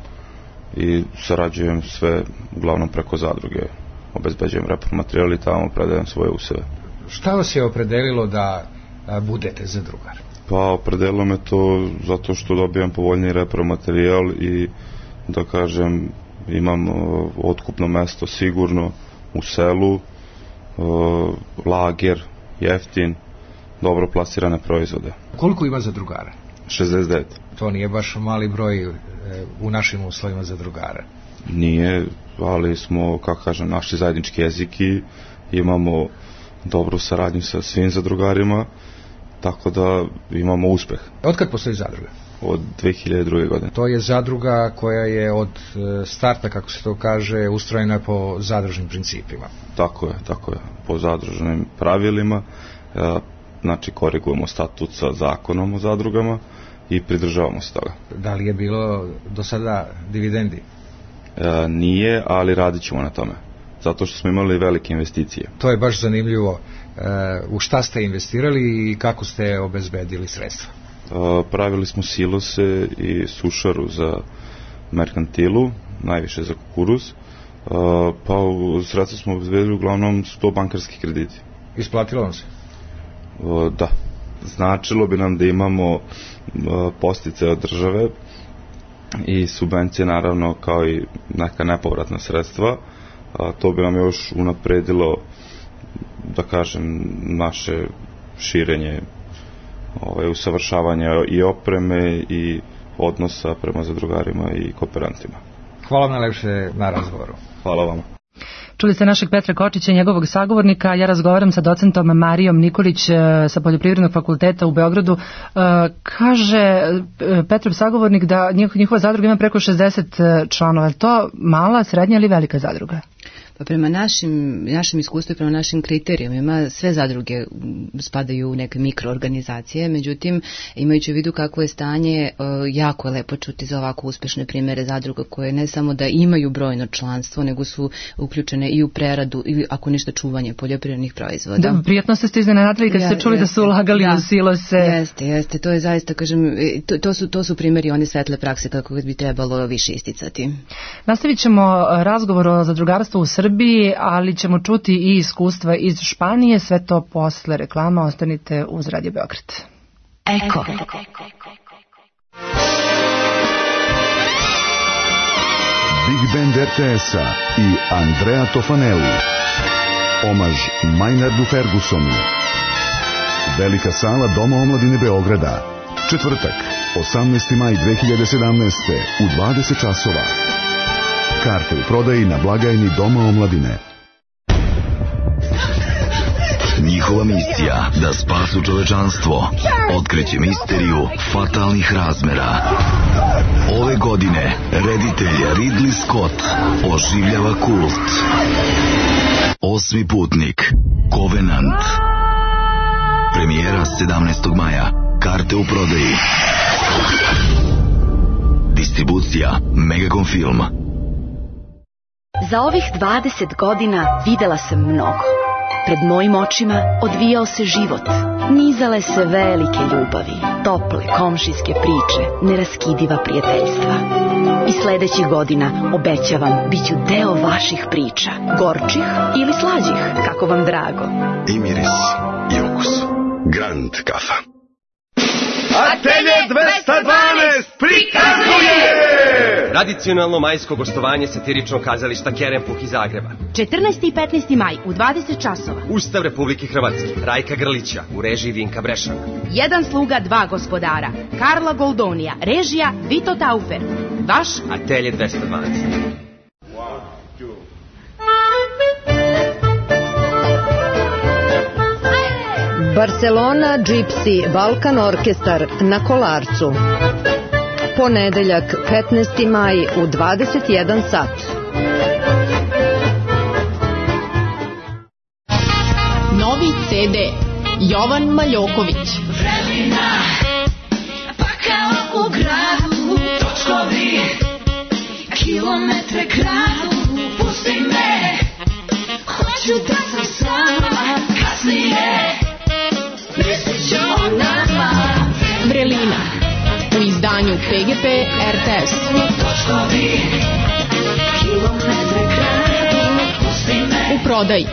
i sarađujem sve uglavnom preko zadruge. Obezbeđujem repromaterijal i tamo predajem svoje useve. Šta vas je opredelilo da a, budete zadrugar? Pa opredelilo me to zato što dobijam povoljni repromaterijal i da kažem imam uh, otkupno mesto sigurno u selu, uh, lager, jeftin, dobro plasirane proizvode. Koliko ima zadrugara? šezdeset devet. To nije baš mali broj e, u našim uslovima zadrugara. Nije, ali smo, kako kažem, naši zajednički jezik i imamo dobru saradnju sa svim zadrugarima, tako da imamo uspeh. Od kad postoji zadruga? Od dve hiljade druge. godine. To je zadruga koja je od starta, kako se to kaže, ustrojena po zadružnim principima. Tako je, tako je, po zadružnim pravilima, znači korigujemo statut sa zakonom o zadrugama i pridržavamo se toga. Da li je bilo do sada dividendi? E, nije, ali radit ćemo na tome, zato što smo imali velike investicije. To je baš zanimljivo. E, u šta ste investirali i kako ste obezbedili sredstva? E, pravili smo silose i sušaru za merkantilu, najviše za kukuruz, e, pa sredstva smo obezbedili uglavnom sto bankarskih krediti. Isplatilo vam se? E, da. Značilo bi nam da imamo postice od države i subvencije, naravno, kao i neka nepovratna sredstva, a to bi nam još unapredilo, da kažem, naše širenje, ovaj, usavršavanje i opreme i odnosa prema zadrugarima i kooperantima. Hvala vam najlepše na razgovoru. Hvala vama. Čuli ste našeg Petra Kočića i njegovog sagovornika. Ja razgovaram sa docentom Marijom Nikolić sa Poljoprivrednog fakulteta u Beogradu. Kaže Petrov sagovornik da njihova zadruga ima preko šezdeset članova. Je to mala, srednja ili velika zadruga? Pa prema našim, našim iskustvu i prema našim kriterijumima sve zadruge spadaju u neke mikroorganizacije, međutim imajući u vidu kakvo je stanje, jako je lepo čuti za ovako uspešne primere zadruga koje ne samo da imaju brojno članstvo, nego su uključene i u preradu ili ako ništa čuvanje poljoprivrednih proizvoda. Da, prijetno ste ste iznenadili kad ja, ste čuli jeste, da su ulagali da, u silose. Jeste, jeste, to je zaista, kažem, to, to, su, to su primjeri one svetle prakse kako bi trebalo više isticati. Nastavit ćemo razgovor o zadrugarstvu u Srbiji, ali ćemo čuti i iskustva iz Španije, sve to posle reklama. Ostanite uz Radio Beograd. Eko. Big Band er te es-a i Andrea Tofanelli. Omaž Maynardu Fergusonu. Velika sala Doma omladine Beograda. Četvrtak, osamnaesti maj dve hiljade sedamnaeste u dvadeset časova. Karte u prodaji na blagajni Doma omladine. Njihova misija da spasu čovečanstvo, otkriće misteriju fatalnih razmera. Ove godine reditelj Ridley Scott oživljava kult. Osmi putnik, Covenant. Premijera sedamnaestog maja. Karte u prodaji. Distribucija Megacom Film. Za ovih dvadeset godina videla sam mnogo. Pred mojim očima odvijao se život. Nizale se velike ljubavi, tople komšijske priče, neraskidiva prijateljstva. I sledećih godina, obećavam, bit ću deo vaših priča. Gorčih ili slađih, kako vam drago. I miris, i ukus. Grand kafa. Atelje dvesta dvanaest prikazuje tradicionalno majsko gostovanje satiričnog kazališta Kerempuh iz Zagreba. četrnaesti i petnaesti maj u dvadeset časova. Ustav Republike Hrvatske, Rajka Grlića u režiji Vinka Brešana. Jedan sluga, dva gospodara. Karla Goldonija, režija Vito Taufer. Vaš Atelje dvesta dvanaest. Barcelona Gypsy Balkan Orkestar na Kolarcu. Ponedeljak petnaesti maj u dvadeset jedan sat. Novi ce de Jovan Maljoković. Vremena, pa kao u gradu, točkovi, kilometre kradu, pusti me, hoću da sam sama, kasnije. Vrelina u izdanju pe ge pe er te es. U prodaji.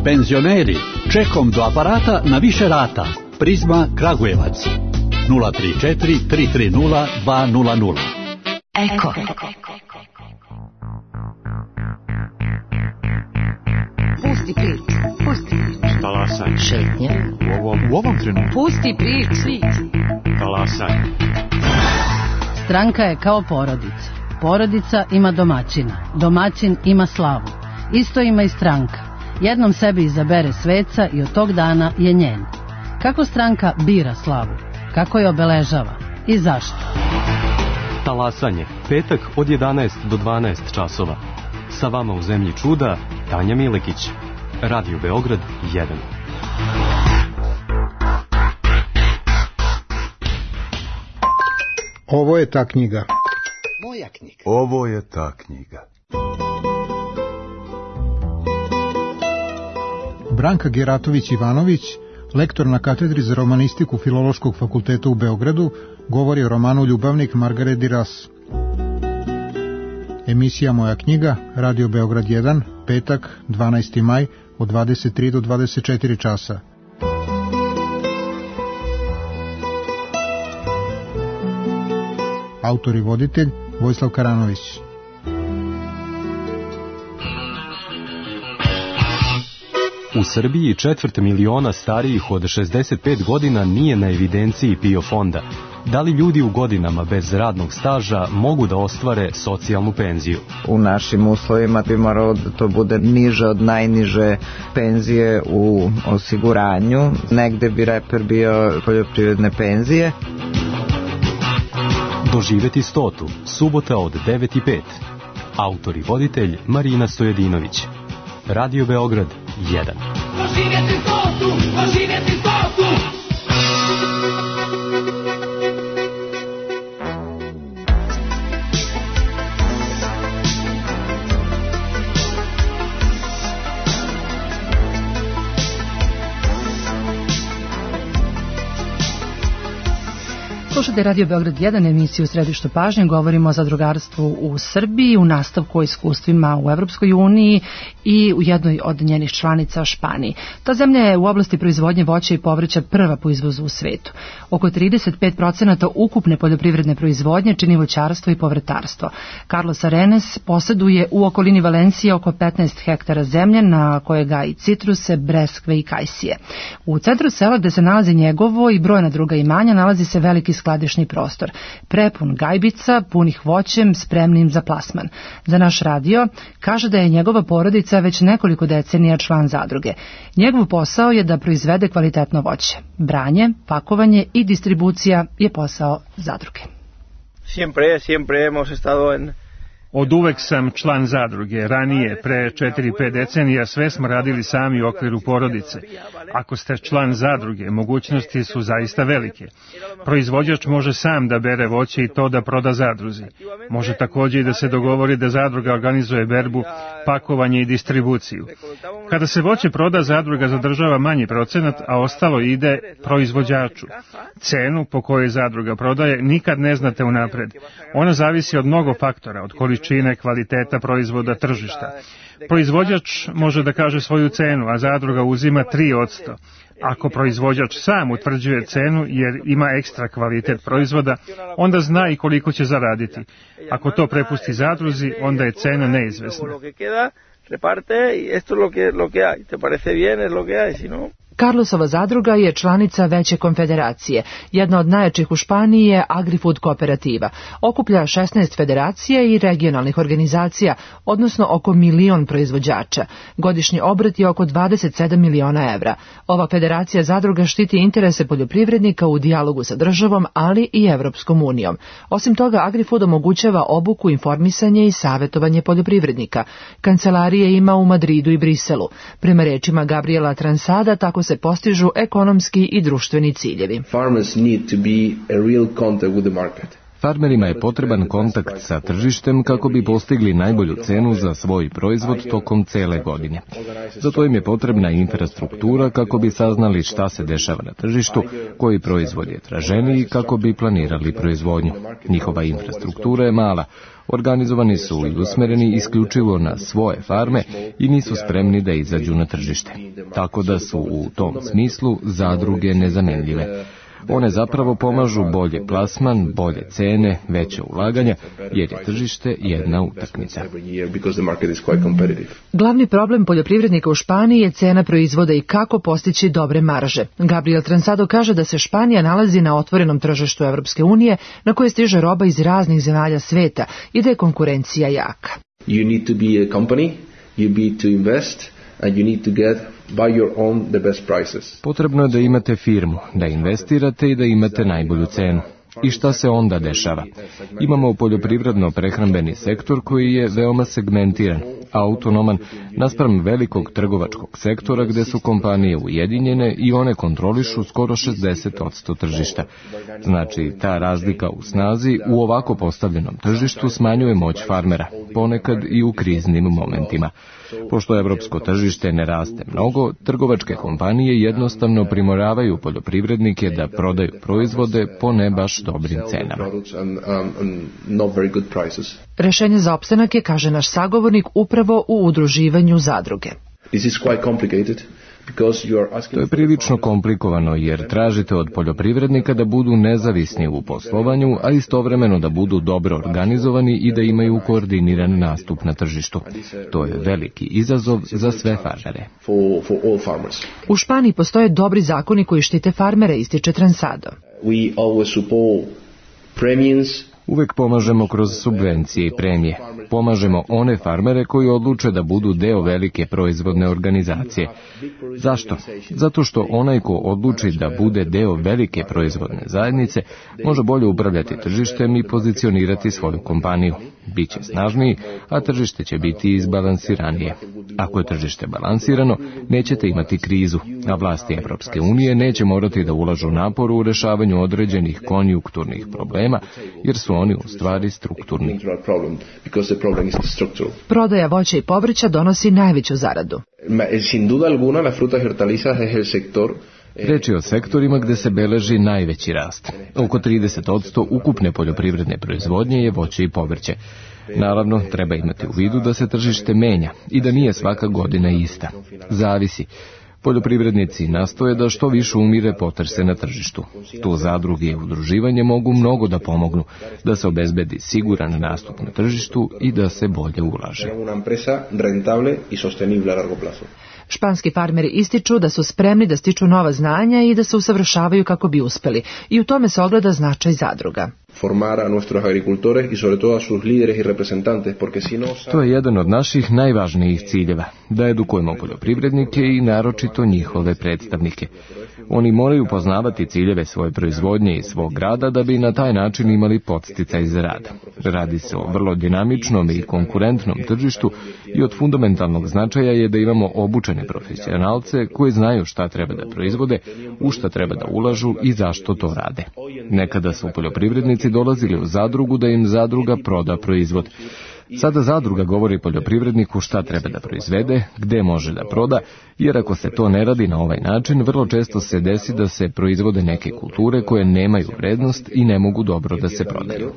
Penzioneri, čekom do aparata na više rata. Prizma Kragujevac nula tri četiri tri tri nula dva nula nula. Eko. Pusti prič, pusti prič. Talasaj. Šetnja. U ovom, u ovom trenutku. Pusti prič. Talasaj. Stranka je kao porodica. Porodica ima domaćina, domaćin ima slavu. Isto ima i stranka. Jednom sebi izabere sveca i od tog dana je njen. Kako stranka bira slavu? Kako je obeležava? I zašto? Talasanje, petak od jedanaest do dvanaest časova. Sa vama u zemlji čuda, Tanja Milekić. Radio Beograd jedan. Ovo je ta knjiga. Moja knjiga. Ovo je ta knjiga. Branka Geratović-Ivanović, lektor na katedri za romanistiku Filološkog fakulteta u Beogradu, govori o romanu Ljubavnik Margaret Duras. Emisija Moja knjiga, Radio Beograd jedan, petak, dvanaesti maj, od dvadeset tri do dvadeset četiri časa. Autor i voditelj Vojislav Karanović. U Srbiji četvrt miliona starijih od šezdeset pet godina nije na evidenciji PIO fonda. Da li ljudi u godinama bez radnog staža mogu da ostvare socijalnu penziju? U našim uslovima bi moralo da to bude niže od najniže penzije u osiguranju. Negde bi reper bio poljoprivredne penzije. Doživeti stotu, subota od devet i pet. Autor i voditelj Marina Stojedinović. Radio Beograd jedan. Doživjeti stotu, doživjeti stotu. Slušate Radio Beograd jedan, emisiju u središtu pažnje. Govorimo o zadrugarstvu u Srbiji, u nastavku o iskustvima u Evropskoj uniji i u jednoj od njenih članica Španiji. Ta zemlja je u oblasti proizvodnje voća i povrća prva po izvozu u svetu. Oko trideset pet posto ukupne poljoprivredne proizvodnje čini voćarstvo i povrtarstvo. Carlos Arenes posjeduje u okolini Valencije oko petnaest hektara zemlje na koje gaji citruse, breskve i kajsije. U centru sela gde se nalazi njegovo i brojna druga imanja nalazi se veliki skladišni prostor, prepun gajbica, punih voćem, spremnim za plasman. Za naš radio kaže da je njegova porodica već nekoliko decenija član zadruge. Njegov posao je da proizvede kvalitetno voće. Branje, pakovanje i distribucija je posao zadruge. Siempre, siempre hemos estado en Od uvek sam član zadruge. Ranije, pre četiri pet decenija, sve smo radili sami u okviru porodice. Ako ste član zadruge, mogućnosti su zaista velike. Proizvođač može sam da bere voće i to da proda zadruzi. Može također i da se dogovori da zadruga organizuje berbu, pakovanje i distribuciju. Kada se voće proda, zadruga zadržava manji procenat, a ostalo ide proizvođaču. Cenu po kojoj zadruga prodaje nikad ne znate unapred. Ona zavisi od mnogo faktora, od količine, kvaliteta proizvoda, tržišta. Proizvođač može da kaže svoju cenu, a zadruga uzima tri posto. Ako proizvođač sam utvrđuje cenu jer ima ekstra kvalitet proizvoda, onda zna i koliko će zaraditi. Ako to prepusti zadruzi, onda je cena neizvesna. Reparte y esto es lo que lo que hay. ¿Te parece bien? Es lo que hay, si no. Carlosova zadruga je članica veće konfederacije. Jedna od najjačih u Španiji je Agrifood kooperativa. Okuplja šesnaest federacija i regionalnih organizacija, odnosno oko milion proizvođača. Godišnji obrt je oko dvadeset sedam miliona evra. Ova federacija zadruga štiti interese poljoprivrednika u dijalogu sa državom, ali i Evropskom unijom. Osim toga, Agrifood omogućava obuku, informisanje i savjetovanje poljoprivrednika. Kancelarije ima u Madridu i Briselu. Prema rečima Gabriela Transada, tako se postižu ekonomski i društveni ciljevi. Farmerima je potreban kontakt sa tržištem kako bi postigli najbolju cenu za svoj proizvod tokom cele godine. Zato im je potrebna infrastruktura kako bi saznali šta se dešava na tržištu, koji proizvod je traženiji kako bi planirali proizvodnju. Njihova infrastruktura je mala. Organizovani su i usmereni isključivo na svoje farme i nisu spremni da izađu na tržište. Tako da su u tom smislu zadruge nezamenljive. One zapravo pomažu bolje plasman, bolje cene, veće ulaganja, jer je tržište jedna utakmica. Glavni problem poljoprivrednika u Španiji je cena proizvoda i kako postići dobre marže. Gabriel Transado kaže da se Španija nalazi na otvorenom tržištu Evropske unije na koje stiže roba iz raznih zemalja sveta i da je konkurencija jaka. You need to be a company, you need to invest and you need to get by your own the best prices. Potrebno je da imate firmu, da investirate i da imate najbolju cenu. I šta se onda dešava? Imamo poljoprivredno-prehrambeni sektor koji je veoma segmentiran, autonoman, naspram velikog trgovačkog sektora gde su kompanije ujedinjene i one kontrolišu skoro šezdeset posto tržišta. Znači, ta razlika u snazi u ovako postavljenom tržištu smanjuje moć farmera, ponekad i u kriznim momentima. Pošto evropsko tržište ne raste mnogo, trgovačke kompanije jednostavno primoravaju poljoprivrednike da prodaju proizvode po ne baš dobrim cenama. Rešenje za opstanak je, kaže naš sagovornik, upravo u udruživanju zadruge. To je prilično komplikovano jer tražite od poljoprivrednika da budu nezavisni u poslovanju, a istovremeno da budu dobro organizovani i da imaju koordiniran nastup na tržištu. To je veliki izazov za sve farmere. U Španiji postoje dobri zakoni koji štite farmere, ističe Transado. Uvek pomažemo kroz subvencije i premije. Pomažemo one farmere koji odluče da budu deo velike proizvodne organizacije. Zašto? Zato što onaj ko odluči da bude deo velike proizvodne zajednice može bolje upravljati tržištem i pozicionirati svoju kompaniju. Biće snažniji, a tržište će biti izbalansiranije. Ako je tržište balansirano, nećete imati krizu, a vlasti Evropske unije neće morati da ulažu napor u rešavanju određenih konjunkturnih problema, jer su oni u stvari strukturni. Prodaja voća i povrća donosi najveću zaradu. Sin duda alguna, las frutas y hortalizas es el sector. Reč je o sektorima gde se beleži najveći rast. Oko trideset posto ukupne poljoprivredne proizvodnje je voće i povrće. Naravno, treba imati u vidu da se tržište menja i da nije svaka godina ista. Zavisi. Poljoprivrednici nastoje da što više umire potrse na tržištu. Tu zadruge i udruživanje mogu mnogo da pomognu, da se obezbedi siguran nastup na tržištu i da se bolje ulaže. Španski farmeri ističu da su spremni da stiču nova znanja i da se usavršavaju kako bi uspeli. I u tome se ogleda značaj zadruga. To je jedan od naših najvažnijih ciljeva, da edukujemo poljoprivrednike i naročito njihove predstavnike. Oni moraju poznavati ciljeve svoje proizvodnje i svog rada da bi na taj način imali podsticaj za rad. Radi se o vrlo dinamičnom i konkurentnom tržištu i od fundamentalnog značaja je da imamo obučene profesionalce koji znaju šta treba da proizvode, u šta treba da ulažu i zašto to rade. Nekada su poljoprivrednici dolazili u zadrugu da im zadruga proda proizvod. Sada zadruga govori poljoprivredniku šta treba da proizvede, gde može da proda, jer ako se to ne radi na ovaj način, vrlo često se desi da se proizvode neke kulture koje nemaju vrednost i ne mogu dobro da se prodaju.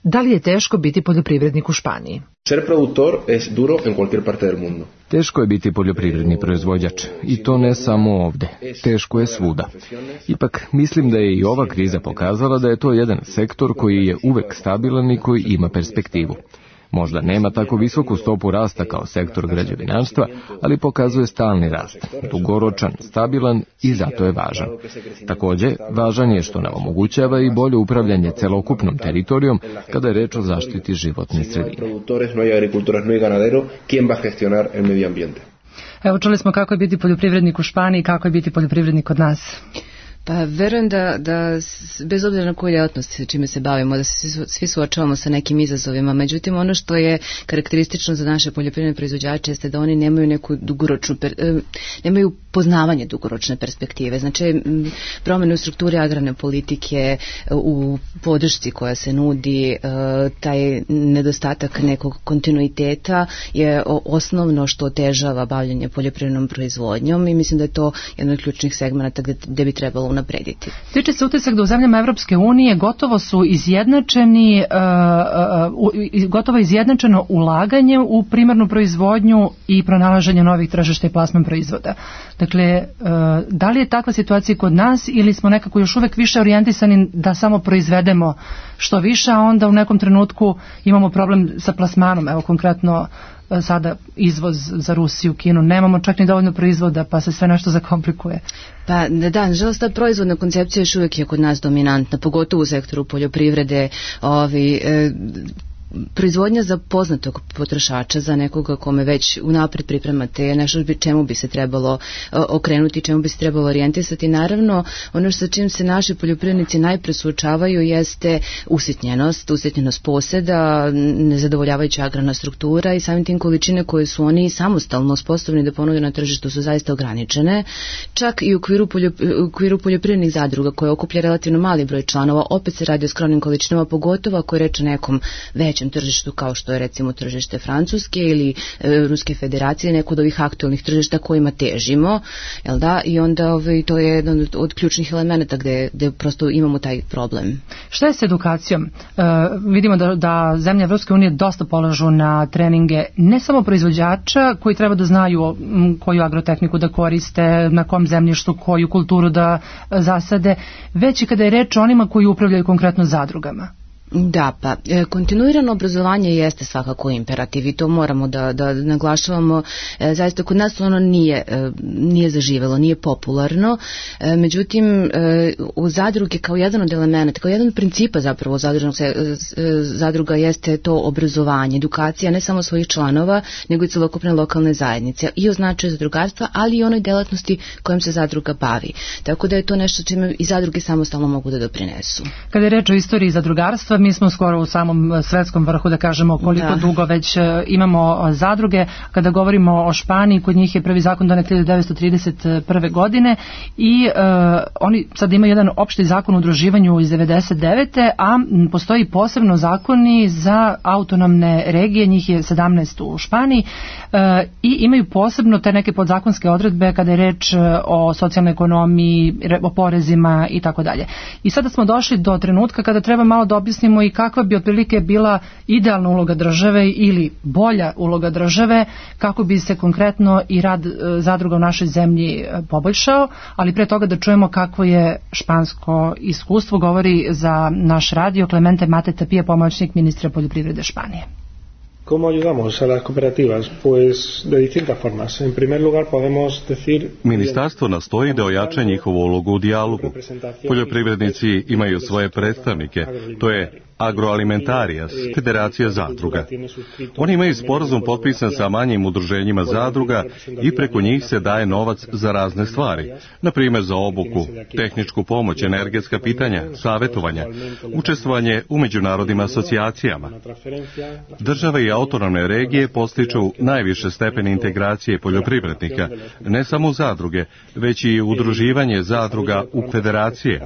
Da li je teško biti poljoprivrednik u Španiji? Ser productor es duro en cualquier parte del mundo. Teško je biti poljoprivredni proizvođač i to ne samo ovde. Teško je svuda. Ipak mislim da je i ova kriza pokazala da je to jedan sektor koji je uvek stabilan i koji ima perspektivu. Možda nema tako visoku stopu rasta kao sektor građevinarstva, ali pokazuje stalni rast, dugoročan, stabilan i zato je važan. Takođe, važan je što nam omogućava i bolje upravljanje celokupnom teritorijom kada je reč o zaštiti životne sredine. Evo, čuli smo kako je biti poljoprivrednik u Španiji i kako je biti poljoprivrednik kod nas. Pa verujem da, da bez obzira na koju djelatnost čime se bavimo, da se svi suočavamo sa nekim izazovima. Međutim, ono što je karakteristično za naše poljoprivredne proizvođače jeste da oni nemaju neku dugoročnu, nemaju poznavanje dugoročne perspektive. Znači, promjene u strukturi agrarne politike, u podršci koja se nudi, taj nedostatak nekog kontinuiteta je osnovno što otežava bavljanje poljoprivrednom proizvodnjom i mislim da je to jedan od ključnih segmenata gde, gde bi trebalo unaprediti. Tiče se utisak da u zemljama Evropske unije gotovo su izjednačeni, uh, uh, uh, gotovo izjednačeno ulaganje u primarnu proizvodnju i pronalaženje novih tržišta i plasman proizvoda. Dakle, uh, da li je takva situacija kod nas ili smo nekako još uvek više orijentisani da samo proizvedemo što više, a onda u nekom trenutku imamo problem sa plasmanom, evo konkretno sada izvoz za Rusiju, Kinu, nemamo čak ni dovoljno proizvoda, pa se sve nešto zakomplikuje. Pa da, nažalost, ta proizvodna koncepcija još uvijek je kod nas dominantna, pogotovo u sektoru poljoprivrede, ovi, e, proizvodnja za poznatog potrošača, za nekoga kome već unapred pripremate je nešto čemu bi se trebalo okrenuti, čemu bi se trebalo orijentisati. Naravno, ono sa čim se naši poljoprivrednici najpre suočavaju jeste usitnjenost, usitnjenost poseda, nezadovoljavajuća agrarna struktura i samim tim količine koje su oni samostalno sposobni da ponude na tržištu su zaista ograničene. Čak i u okviru, poljop, u okviru poljoprivrednih zadruga koje okuplja relativno mali broj članova, opet se radi o skromnim količinama, pogotovo ako je reč o nekom većem tržištu kao što je recimo tržište Francuske ili e, Ruske federacije, neko od ovih aktualnih tržišta kojima težimo, jel da? I onda ovaj, to je jedan od, od ključnih elemenata gde, gde prosto imamo taj problem. Šta je s edukacijom? E, vidimo da, da zemlje Evropske unije dosta polažu na treninge ne samo proizvođača koji treba da znaju m, koju agrotehniku da koriste, na kom zemljištu koju kulturu da zasade, već i kada je reč o onima koji upravljaju konkretno zadrugama. Da, pa e, kontinuirano obrazovanje jeste svakako imperativ i to moramo da, da naglašavamo. E, zaista kod nas ono nije, e, nije zaživelo, nije popularno. E, međutim, e, u zadruge kao jedan od elementa, kao jedan od principa zapravo zadružnog se, e, zadruga jeste to obrazovanje, edukacija ne samo svojih članova, nego i celokupne lokalne zajednice i o značaju zadrugarstva, ali i onoj delatnosti kojom se zadruga bavi. Tako da je to nešto čime i zadruge samostalno mogu da doprinesu. Kada je reč o istoriji zadrugarstva, mi smo skoro u samom svetskom vrhu, da kažemo koliko da. dugo već imamo zadruge. Kada govorimo o Španiji, kod njih je prvi zakon donet hiljadu devetsto trideset prve. godine i uh, oni sad imaju jedan opšti zakon o udruživanju iz devedeset devete. a postoji posebno zakoni za autonomne regije, njih je sedamnaest u Španiji uh, i imaju posebno te neke podzakonske odredbe kada je reč o socijalnoj ekonomiji, o porezima i tako dalje. I sada smo došli do trenutka kada treba malo da objasnimo i kakva bi otprilike bila idealna uloga države ili bolja uloga države kako bi se konkretno i rad zadruga u našoj zemlji poboljšao, ali pre toga da čujemo kakvo je špansko iskustvo, govori za naš radio Clemente Mate Tapia, pomoćnik ministra poljoprivrede Španije. ¿Cómo ayudamos a las cooperativas? Pues de distintas formas. En primer lugar podemos decir... Ministarstvo nastoji da ojača njihovu ulogu u dijalogu. Poljoprivrednici imaju svoje predstavnike, to je Agroalimentarias, Federacija zadruga. Oni imaju sporazum potpisan sa manjim udruženjima zadruga i preko njih se daje novac za razne stvari, na primjer za obuku, tehničku pomoć, energetska pitanja, savjetovanja, učestvovanje u međunarodnim asocijacijama. Države i autonomne regije postiču najviše stepene integracije poljoprivrednika, ne samo u zadruge, već i udruživanje zadruga u federacije.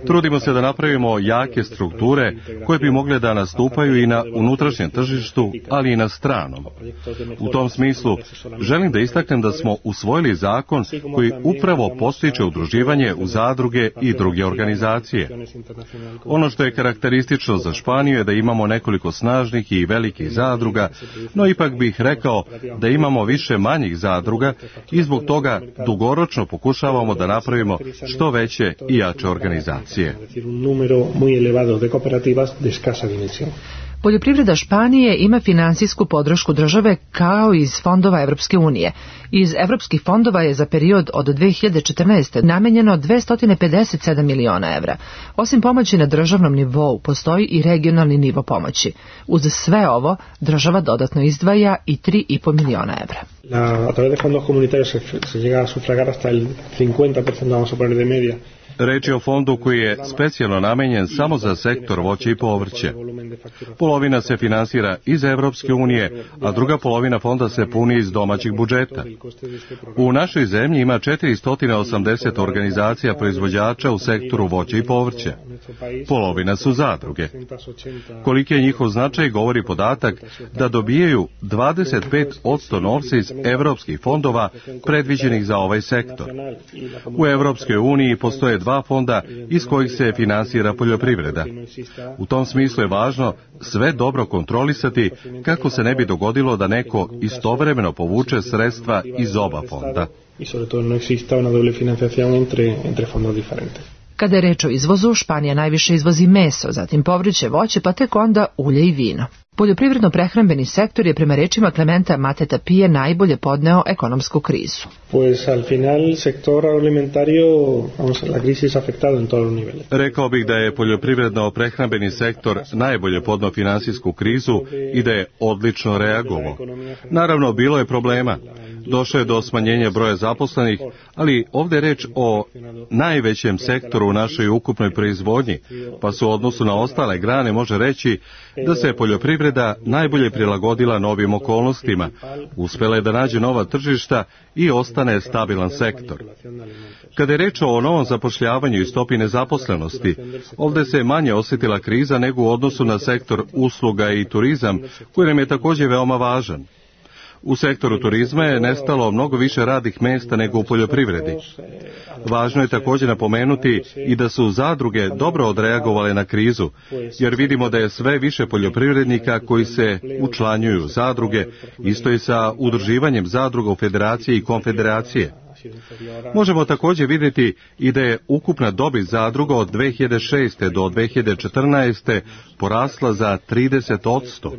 Trudimo se da napravimo jake strukture koje bi mogle da nastupaju i na unutrašnjem tržištu, ali i na stranom. U tom smislu želim da istaknem da smo usvojili zakon koji upravo postiče udruživanje u zadruge i druge organizacije. Ono što je karakteristično za Španiju je da imamo nekoliko snažnih i velikih zadruga, no ipak bih rekao da imamo više manjih zadruga i zbog toga dugoročno pokušavamo da napravimo što veće i jače organizacije. De escasa dimensión. Poljoprivreda Španije ima finansijsku podršku države kao iz fondova Evropske unije. Iz evropskih fondova je za period od dve hiljade četrnaeste. namenjeno dvesta pedeset sedam miliona evra. Osim pomoći na državnom nivou, postoji i regionalni nivo pomoći. Uz sve ovo, država dodatno izdvaja i tri i po miliona evra. La, a través de fondos comunitarios se, se llega a sufragar hasta el cincuenta por ciento, vamos a poner de media. Reč je o fondu koji je specijalno namenjen samo za sektor voća i povrće. Polovina se finansira iz Evropske unije, a druga polovina fonda se puni iz domaćih budžeta. U našoj zemlji ima četiristo osamdeset organizacija proizvođača u sektoru voća i povrća. Polovina su zadruge. Koliki je njihov značaj govori podatak da dobijaju dvadeset pet posto novca iz evropskih fondova predviđenih za ovaj sektor. U Evropskoj uniji postoje postoje dva fonda iz kojih se finansira poljoprivreda. U tom smislu je važno sve dobro kontrolisati kako se ne bi dogodilo da neko istovremeno povuče sredstva iz oba fonda. Kada je reč o izvozu, Španija najviše izvozi meso, zatim povrće, voće, pa tek onda ulje i vino. Poljoprivredno-prehrambeni sektor je prema rečima Klementa Mateta Pije najbolje podneo ekonomsku krizu. Pues al final sector agroalimentario, vamos, la crisis ha afectado en todos los niveles. Rekao bih da je poljoprivredno-prehrambeni sektor najbolje podneo finansijsku krizu i da je odlično reagovao. Naravno, bilo je problema. Došlo je do smanjenja broja zaposlenih, ali ovdje je reč o najvećem sektoru u našoj ukupnoj proizvodnji, pa su u odnosu na ostale grane može reći da se poljoprivreda najbolje prilagodila novim okolnostima, uspjela je da nađe nova tržišta i ostane stabilan sektor. Kada je reč o novom zapošljavanju i stopi nezaposlenosti, ovdje se manje osjetila kriza nego u odnosu na sektor usluga i turizam, koji nam je također veoma važan. U sektoru turizma je nestalo mnogo više radnih mjesta nego u poljoprivredi. Važno je također napomenuti i da su zadruge dobro odreagovale na krizu, jer vidimo da je sve više poljoprivrednika koji se učlanjuju u zadruge, isto i sa udruživanjem zadruga u federacije i konfederacije. Možemo također vidjeti i da je ukupna dobit zadruga od dve hiljade šeste do dve hiljade četrnaeste porasla za trideset posto,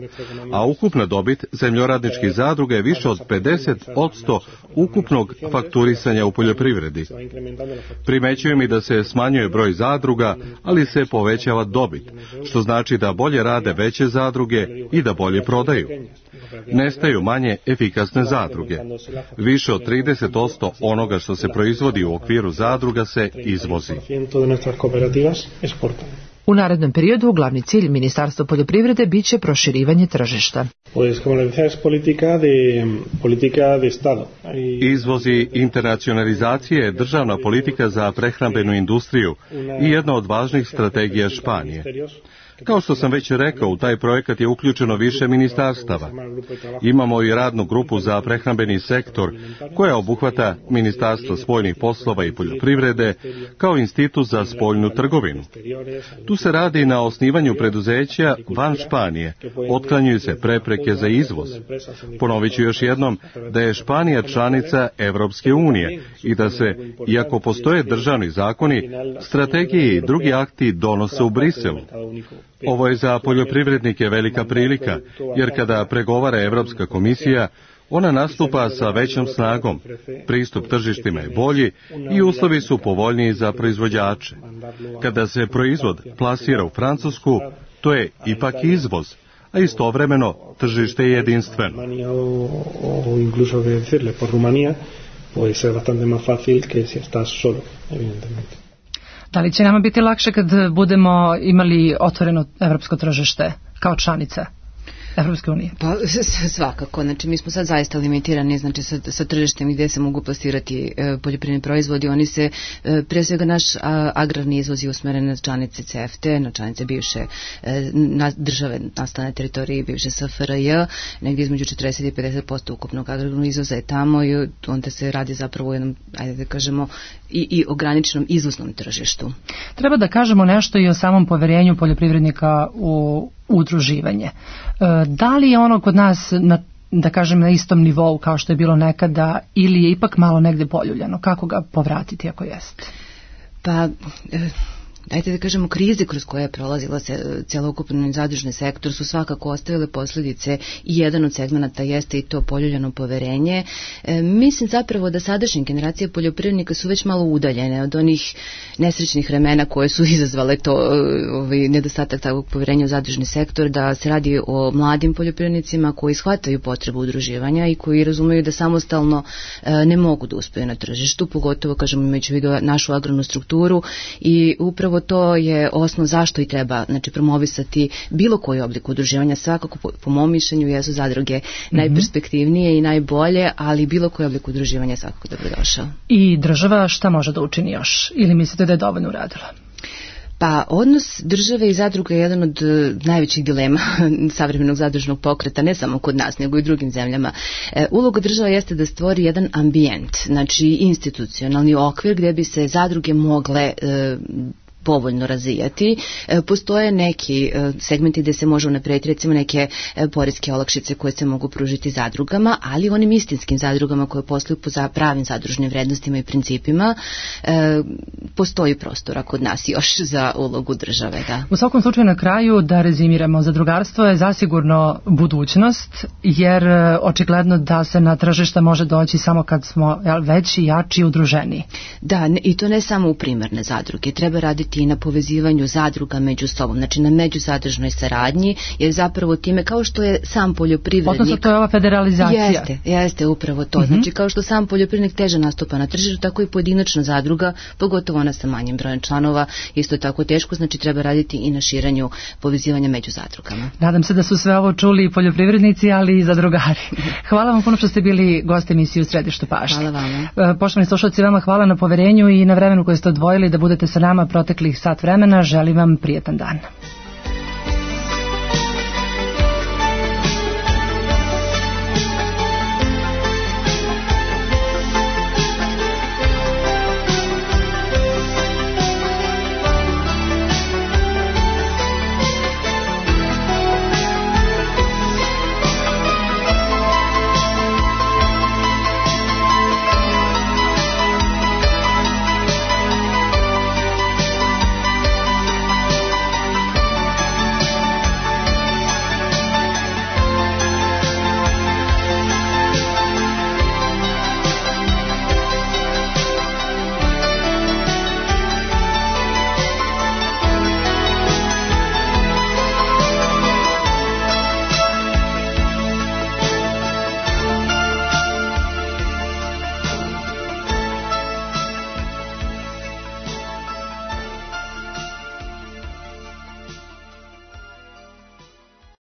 a ukupna dobit zemljoradničkih zadruga je više od pedeset posto ukupnog fakturisanja u poljoprivredi. Primećujem i da se smanjuje broj zadruga, ali se povećava dobit, što znači da bolje rade veće zadruge i da bolje prodaju. Nestaju manje efikasne zadruge. Više od trideset posto onoga što se proizvodi u okviru zadruga se izvozi. U narednom periodu glavni cilj Ministarstva poljoprivrede biće proširivanje tržišta. Izvoz i internacionalizacija je državna politika za prehrambenu industriju i jedna od važnih strategija Španije. Kao što sam već rekao, u taj projekat je uključeno više ministarstava. Imamo i radnu grupu za prehrambeni sektor, koja obuhvata Ministarstvo spoljnih poslova i poljoprivrede, kao institut za spoljnu trgovinu. Tu se radi na osnivanju preduzeća van Španije, otklanjuju se prepreke za izvoz. Ponovit ću još jednom da je Španija članica Evropske unije i da se, iako postoje državni zakoni, strategije i drugi akti donose u Briselu. Ovo je za poljoprivrednike velika prilika, jer kada pregovara Europska komisija, ona nastupa sa većom snagom, pristup tržištima je bolji i uslovi su povoljniji za proizvođače. Kada se proizvod plasira u Francusku, to je ipak izvoz, a istovremeno tržište je jedinstveno. Da li će nama biti lakše kad budemo imali otvoreno evropsko tržište kao članica Evropske unije? Pa svakako, znači mi smo sad zaista limitirani, znači sa, sa tržištem gdje se mogu plasirati e, poljoprivredni proizvodi. Oni se, e, prije svega naš a, agrarni izvoz je usmeren na članice C E F T E, na članice bivše e, na države nastane teritorije bivše S F R J, negdje između četrdeset i pedeset posto ukupnog agrarnog izvoza je tamo i onda se radi zapravo o jednom, ajde da kažemo, i, i ograničenom izvoznom tržištu. Treba da kažemo nešto i o samom poverenju poljoprivrednika u udruživanje. Da li je ono kod nas na, da kažem, na istom nivou kao što je bilo nekada ili je ipak malo negde poljuljano? Kako ga povratiti ako jeste? Pa, dajte da kažemo, krize kroz koje je prolazila celokupni zadružni sektor su svakako ostavile posljedice i jedan od segmenata jeste i to poljuljano poverenje. E, mislim zapravo da sadašnje generacije poljoprivrednika su već malo udaljene od onih nesrećnih vremena koje su izazvale to ovaj, nedostatak takvog poverenja u zadružni sektor, da se radi o mladim poljoprivrednicima koji shvataju potrebu udruživanja i koji razumeju da samostalno e, ne mogu da uspeju na tržištu, pogotovo, kažemo, imajući u vidu našu agrarnu strukturu i upravo to je osnov zašto i treba, znači, promovisati bilo koji oblik udruživanja. Svakako, po, po mom mišljenju, jesu zadruge mm-hmm. najperspektivnije i najbolje, ali bilo koji oblik udruživanja je svakako dobrodošao. I država šta može da učini još? Ili mislite da je dovoljno uradila? Pa odnos države i zadruga je jedan od najvećih dilema savremenog zadružnog pokreta, ne samo kod nas, nego i u drugim zemljama. E, uloga država jeste da stvori jedan ambijent, znači institucionalni okvir gdje bi se zadruge mogle e, povoljno razvijati. E, postoje neki e, segmenti gdje se može unaprediti, recimo neke e, poreske olakšice koje se mogu pružiti zadrugama, ali onim istinskim zadrugama koje posluju po za pravim zadružnim vrednostima i principima e, postoji prostora kod nas još za ulogu države. Da. U svakom slučaju na kraju da rezimiramo, zadrugarstvo je zasigurno budućnost, jer e, očigledno da se na tržišta može doći samo kad smo jel, veći, jači i udruženi. Da, ne, i to ne samo u primarne zadruge, treba raditi i na povezivanju zadruga među sobom, znači na međuzadružnoj saradnji, jer zapravo time kao što je sam poljoprivrednik... Odnosno to je ova federalizacija. Jeste, jeste upravo to. Mm-hmm. Znači kao što sam poljoprivrednik teže nastupa na tržištu, tako i pojedinačna zadruga, pogotovo ona sa manjim brojem članova, isto tako teško, znači treba raditi i na širenju povezivanja među zadrugama. Nadam se da su sve ovo čuli i poljoprivrednici, ali i zadrugari. Hvala vam puno što ste bili gost emisije u Središtu pažnje. Hvala vama. Poštovani slušalci, vama hvala na poverenju i na vremenu koje ste odvojili da budete sa nama protekli sat vremena. Želim vam prijetan dan.